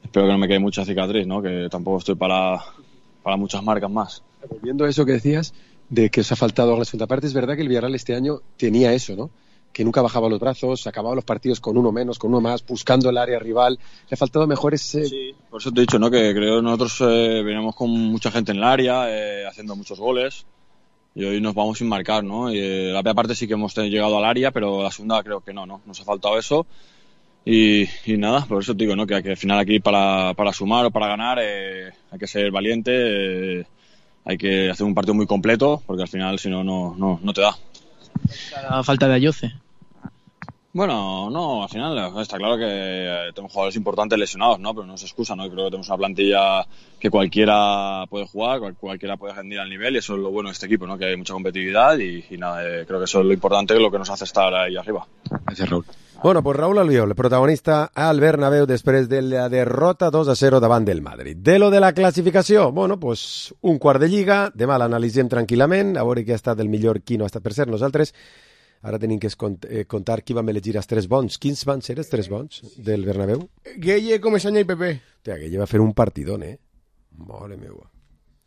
espero que no me quede mucha cicatriz, ¿no? Que tampoco estoy para muchas marcas más. Volviendo a eso que decías, de que os ha faltado la segunda parte, es verdad que el Villarreal este año tenía eso, ¿no? Que nunca bajaba los brazos, acababa los partidos con uno menos, con uno más, buscando el área rival. Le ha faltado mejor ese... Sí, por eso te he dicho, ¿no? Que creo que nosotros veníamos con mucha gente en el área, haciendo muchos goles, y hoy nos vamos sin marcar, ¿no? Y la primera parte sí que hemos llegado al área, pero la segunda creo que no, nos ha faltado eso. Y nada, por eso te digo, ¿no? Que al final aquí para sumar o para ganar hay que ser valiente, hay que hacer un partido muy completo, porque al final si no, no te da. La falta de Ayoce. Bueno, no, al final está claro que tenemos jugadores importantes lesionados, ¿no? Pero no es excusa, ¿no? Creo que tenemos una plantilla que cualquiera puede jugar, cualquiera puede rendir al nivel y eso es lo bueno de este equipo, ¿no? Que hay mucha competitividad y nada, creo que eso es lo importante, lo que nos hace estar ahí arriba. Gracias, Raúl. Bueno, pues Raúl Albiol, protagonista al Bernabéu després de la derrota 2-0 davant del Madrid. De lo de la classificació, bueno, pues un quart de lliga, demà l'analitzem tranquil·lament, a veure qui ha estat el millor, qui no ha estat. Per cert, nosaltres ara tenim que contar qui vam elegir els 3 bons. Quins van ser els 3 bons del Bernabéu? Gueye, Comesaña i Pepe. Hòstia, Gueye va fer un partidón, Mare meua.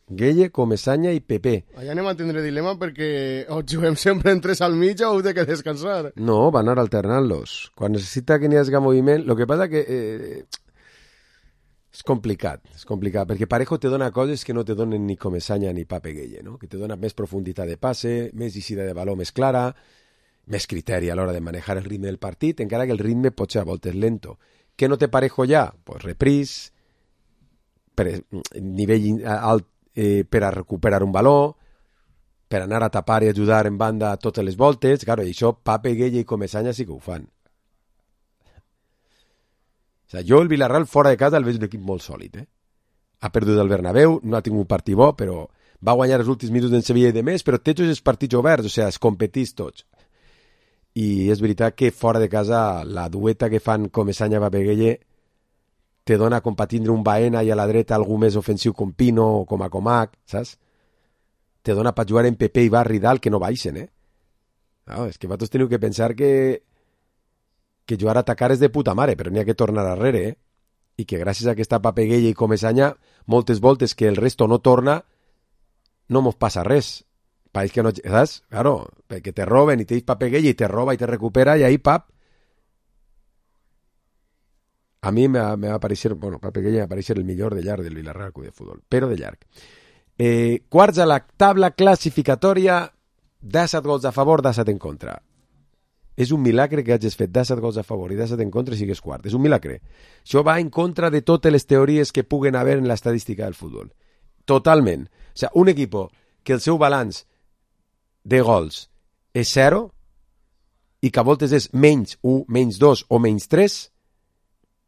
Gueye, Comesaña i Pepe. Allà anem a tindre dilema perquè o juguem sempre en 3 al mig o heu de que descansar. No, van anar alternant-los. Quan necessita que n'hi hagi moviment... Lo que passa que és complicat, perquè Parejo te dona coses que no te donen ni Comesaña ni Pape Gueye, no? Que te dona més profunditat de passe, més eixida de baló més clara, més criteri a l'hora de manejar el ritme del partit, encara que el ritme pot ser a voltes lento. Què no té Parejo ja? Pues repris, nivell alt per a recuperar un baló, per anar a tapar i ajudar en banda a totes les voltes. Claro, i això Pape, Gueye i Comesaña sí que ho fan. O sigui, jo el Villarreal fora de casa el veig un equip molt sòlid. Ha perdut el Bernabéu, no ha tingut un partit bo, però va guanyar els últims minuts en Sevilla i de més, però té tots els partits oberts, o sigui, es competís tots. I és veritat que fora de casa la dueta que fan Comesaña, Pape, Gueye te dona com per tindre un Baena i a la dreta algú més ofensiu com Pino o com a Comac, saps? Te dona per jugar en Pepe i Barri dalt que no baixen, No, és que vosaltres teniu que pensar que jugar a atacar és de puta mare, però n'hi ha que tornar arrere, I que gràcies a aquesta Pape Gueye i Comesaña, moltes voltes que el resto no torna, no mos passa res. País que no, saps? Claro, perquè te roben i te dius Pape Gueye i te roba i te recupera i ahí, pap, a mi me va aparèixer, bueno, Pape Gueye me va aparèixer el millor de llarg del Villarreal Club de Futbol, però de llarg. Quarts a la taula classificatòria, 17 gols a favor, 17 en contra. És un milagre que hagis fet 17 gols a favor i 17 en contra i sigues quart. És un milagre. Això va en contra de totes les teories que puguen haver en l'estadística del futbol. Totalment. O sigui, un equip que el seu balanç de gols és 0 i que a voltes és menys 1, menys 2 o menys 3,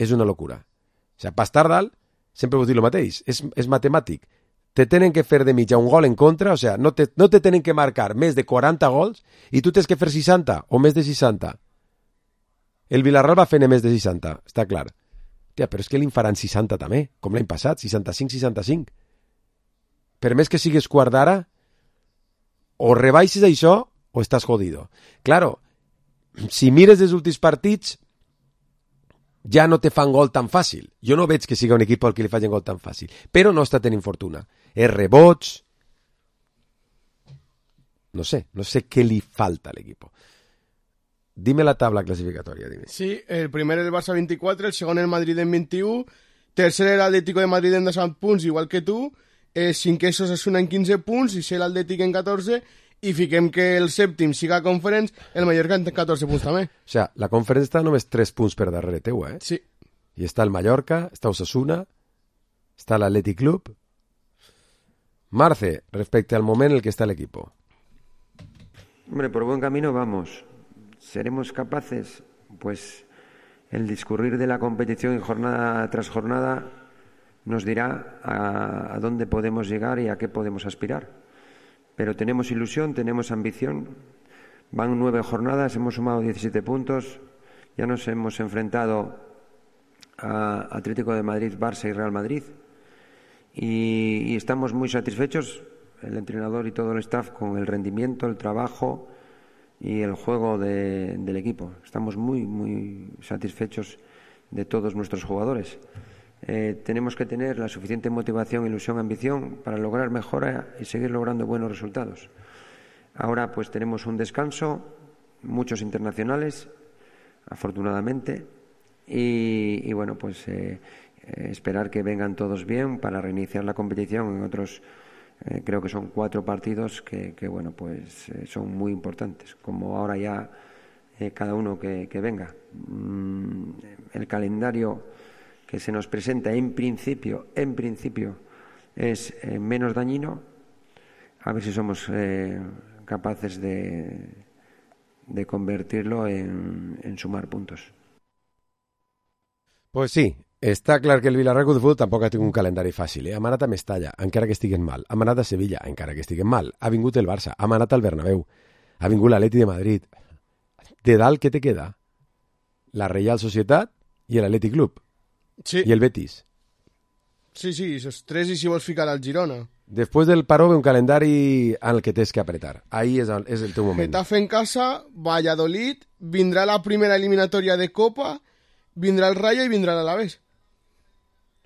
és una locura. O sigui, per estar dalt, sempre vos dic el mateix, és matemàtic. Te tenen que fer de mitja un gol en contra, o sigui, no te tenen que marcar més de 40 gols i tu tens que fer 60 o més de 60. El Villarreal va fer més de 60, està clar. Tia, però és que li en faran 60 també, com l'any passat, 65-65. Per més que sigues quart d'ara, o rebaixes això o estàs jodido. Claro, si mires els últims partits, ja no te fan gol tan fàcil. Jo no veig que siga un equip al que li facin gol tan fàcil, però no està tenint fortuna. És rebots... No sé què li falta a l'equip. Dime la tabla clasificatòria, dime. Sí, el primer el Barça 24, el segon el Madrid en 21, tercer l'Atlético de Madrid en 17 punts, igual que tu, cinquè Osasuna en 15 punts, i el Atlètic en 14, i fiquem que el sèptim siga Conference, el Mallorca en 14 punts també. O sigui, la Conference està només 3 punts per darrere teu, eh? Sí. I està el Mallorca, està Osasuna, està l'Athletic Club. Marce, respecte al moment en el que está el equipo. Hombre, por buen camino vamos. ¿Seremos capaces? Pues el discurrir de la competición jornada tras jornada nos dirá a dónde podemos llegar y a qué podemos aspirar. Pero tenemos ilusión, tenemos ambición. Van 9 jornadas, hemos sumado 17 puntos. Ya nos hemos enfrentado a Atlético de Madrid, Barça y Real Madrid. Y estamos muy satisfechos, el entrenador y todo el staff, con el rendimiento, el trabajo y el juego del equipo. Estamos muy satisfechos de todos nuestros jugadores. Tenemos que tener la suficiente motivación, ilusión, ambición para lograr mejora y seguir logrando buenos resultados. Ahora pues tenemos un descanso, muchos internacionales, afortunadamente, y bueno, pues esperar que vengan todos bien para reiniciar la competición en otros, creo que son 4 partidos que bueno, pues son muy importantes, como ahora ya cada uno que venga. El calendario que se nos presenta en principio es menos dañino. A ver si somos capaces de convertirlo en sumar puntos. Pues sí, està clar que el Villarreal de Futbol tampoc ha tingut un calendari fàcil. Ha manat a Mestalla, encara que estiguen mal. Ha manat a Sevilla, encara que estiguen mal. Ha vingut el Barça, ha manat al Bernabéu. Ha vingut l'Atleti de Madrid. De dalt, què te queda? La Real Societat i l'Atlètic Club. Sí. I el Betis. Sí, esos 3 y si vols ficar al Girona. Después del paró ve un calendari en el que tens que apretar. Ahí és el teu moment. Getafe en casa, Valladolid, vindrà la primera eliminatòria de Copa, vindrà el Rayo y vindrà l'Alavés.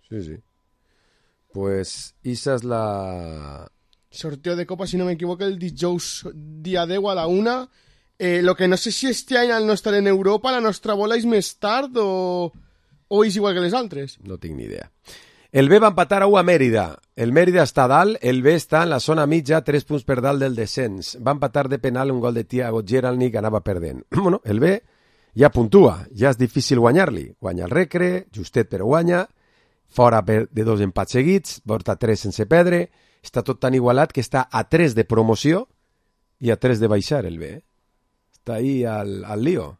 Sí. Pues esa es la... Sorteo de Copa, si no me equivoco, el dijous dia 10 a la 1. Lo que no sé si este any al no estar en Europa la nostra bola és més tard o és igual que les altres. No tinc ni idea. El B va empatar a 1 a Mèrida. El Mèrida està dalt, el B està en la zona mitja, 3 punts per dalt del descens. Va empatar de penal un gol de Thiago Geralni que anava perdent. Bueno, el B ja puntua, ja és difícil guanyar-li. Guanya el Recre, justet però guanya, fora de 2 empats seguits, porta 3 sense perdre, està tot tan igualat que està a 3 de promoció i a 3 de baixar el B. Està ahí al lío.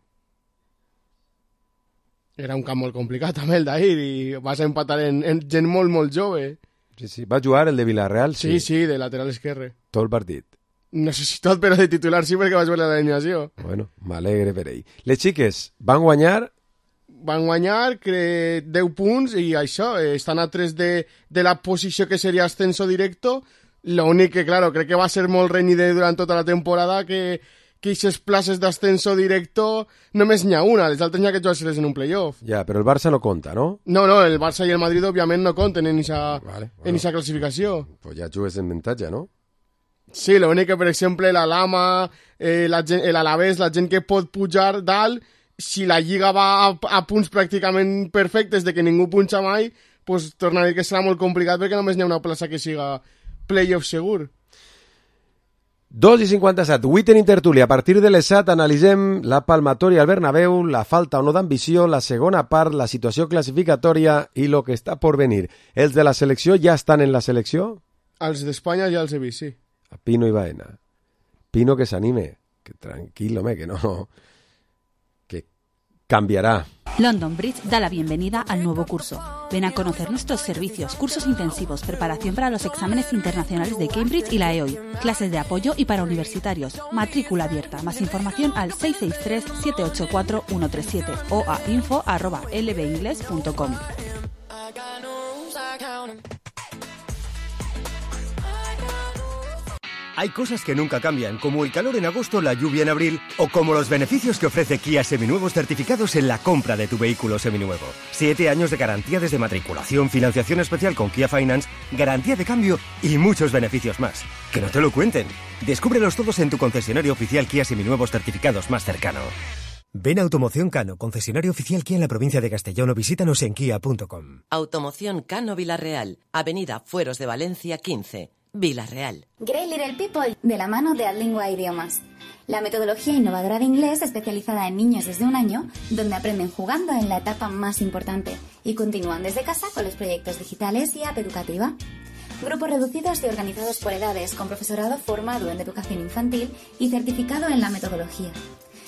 Era un camp molt complicat també el d'ahir i vas a empatar en gent molt jove. Sí, va jugar el de Villarreal, sí. Sí, de lateral esquerre. Tot el partit. No sé si tot, però de titular sí, perquè vaig veure l'alineació. Bueno, m'alegre per ell. Les xiques van guanyar... Van guanyar 10 punts i això, estan a 3 de la posició que seria ascenso directo. L'únic que, claro, crec que va ser molt renyida durant tota la temporada que aquestes places d'ascenso directo només n'hi ha una, les altres n'hi ha que jugar-se-les en un playoff. Ja, però el Barça no compta, no? No, el Barça i el Madrid òbviament no compten en aquesta classificació. Pues ja jugues en avantatge, no? Sí, l'únic que, per exemple, la Lama, l'Alavés, la gent que pot pujar dalt, si la Lliga va a punts pràcticament perfectes de que ningú punxa mai, pues torna a dir que serà molt complicat perquè només n'hi ha una plaça que siga playoff segur. 2:57, avui tenim tertúlia. A partir de les 7 analitzem la palmatòria al Bernabéu, la falta o no d'ambició, la segona part, la situació classificatòria i lo que està por venir. Els de la selecció ja estan en la selecció? Els d'Espanya ja els he vist, sí. A Pino i Baena. Pino que s'anime, que tranquilo, que no... que cambiará. London Bridge da la bienvenida al nuevo curso. Ven a conocer nuestros servicios, cursos intensivos, preparación para los exámenes internacionales de Cambridge y la EOI, clases de apoyo y para universitarios, matrícula abierta. Más información al 663-784-137 o a info@lbingles.com. Hay cosas que nunca cambian, como el calor en agosto, la lluvia en abril, o como los beneficios que ofrece Kia Seminuevos certificados en la compra de tu vehículo seminuevo. 7 años de garantía desde matriculación, financiación especial con Kia Finance, garantía de cambio y muchos beneficios más. Que no te lo cuenten. Descúbrelos todos en tu concesionario oficial Kia Seminuevos certificados más cercano. Ven a Automoción Cano, concesionario oficial Kia en la provincia de Castellón, o visítanos en kia.com. Automoción Cano Vilarreal, Avenida Fueros de Valencia 15. Vilarreal. Great Little People, de la mano de Adlingua Idiomas. La metodología innovadora de inglés especializada en niños desde 1 año, donde aprenden jugando en la etapa más importante y continúan desde casa con los proyectos digitales y app educativa. Grupos reducidos y organizados por edades, con profesorado formado en educación infantil y certificado en la metodología.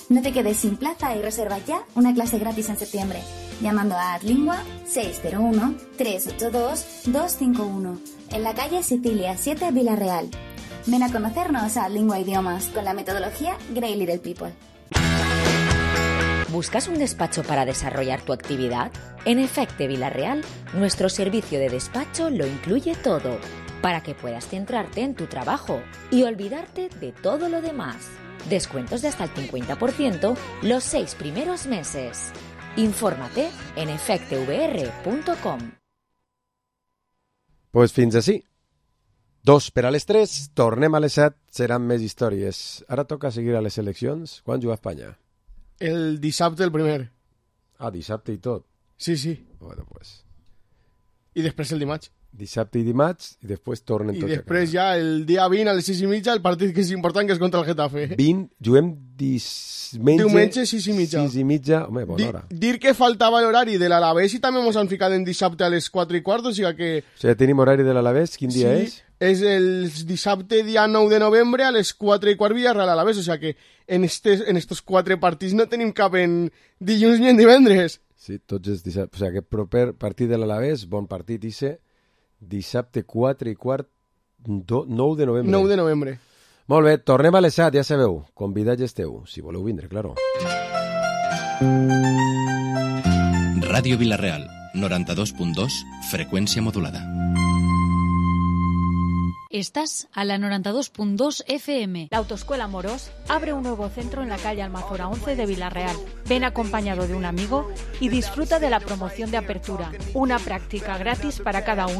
No te quedes sin plaza y reserva ya una clase gratis en septiembre, llamando a Adlingua 601-382-251, en la calle Sicilia 7, Vilarreal. Ven a conocernos a Adlingua Idiomas con la metodología Great Little People. ¿Buscas un despacho para desarrollar tu actividad? En Efecte Vilarreal, nuestro servicio de despacho lo incluye todo, para que puedas centrarte en tu trabajo y olvidarte de todo lo demás. Descuentos de hasta el 50% los 6 primeros meses. Infórmate en efectevr.com. Pues fins així. 2 per a les 3, tornem a les 7, seran més històries. Ara toca seguir a les eleccions. Quan juga Espanya? El dissabte el primer. Ah, dissabte i tot. Sí. Bueno, pues. I després el dimarts. Dissabte i dimarts, i després tornen tots a casa. I després ja el dia 20 a les 6:30 el partit que és important, que és contra el Getafe. 20, juguem diumenge 6:30. 6:30, home, bona hora. Dir que faltava l'horari de l'Alavés i també mos han ficat en dissabte a les 4:15, o sigui que... O sigui, tenim horari de l'Alavés, quin dia és? És el dissabte dia 9 de novembre a les 4:15 Villarreal Alavés, o sigui que en estos 4 partits no tenim cap en dilluns ni en divendres. Sí, tots els dissabtes. O sigui, aquest proper partit de l'Alavés, bon partit, Isse. Dissabte 4:15, 9 de novembre. 9 de novembre. Molt bé, tornem a les 7, ja sabeu. Convidats esteu, si voleu vindre, claro. Ràdio Vilarreal, 92.2, frecuencia modulada. Estás a la 92.2 FM. La Autoescuela Morós abre un nuevo centro en la calle Almazora 11 de Vilarreal. Ven acompañado de un amigo y disfruta de la promoción de apertura. Una práctica gratis para cada uno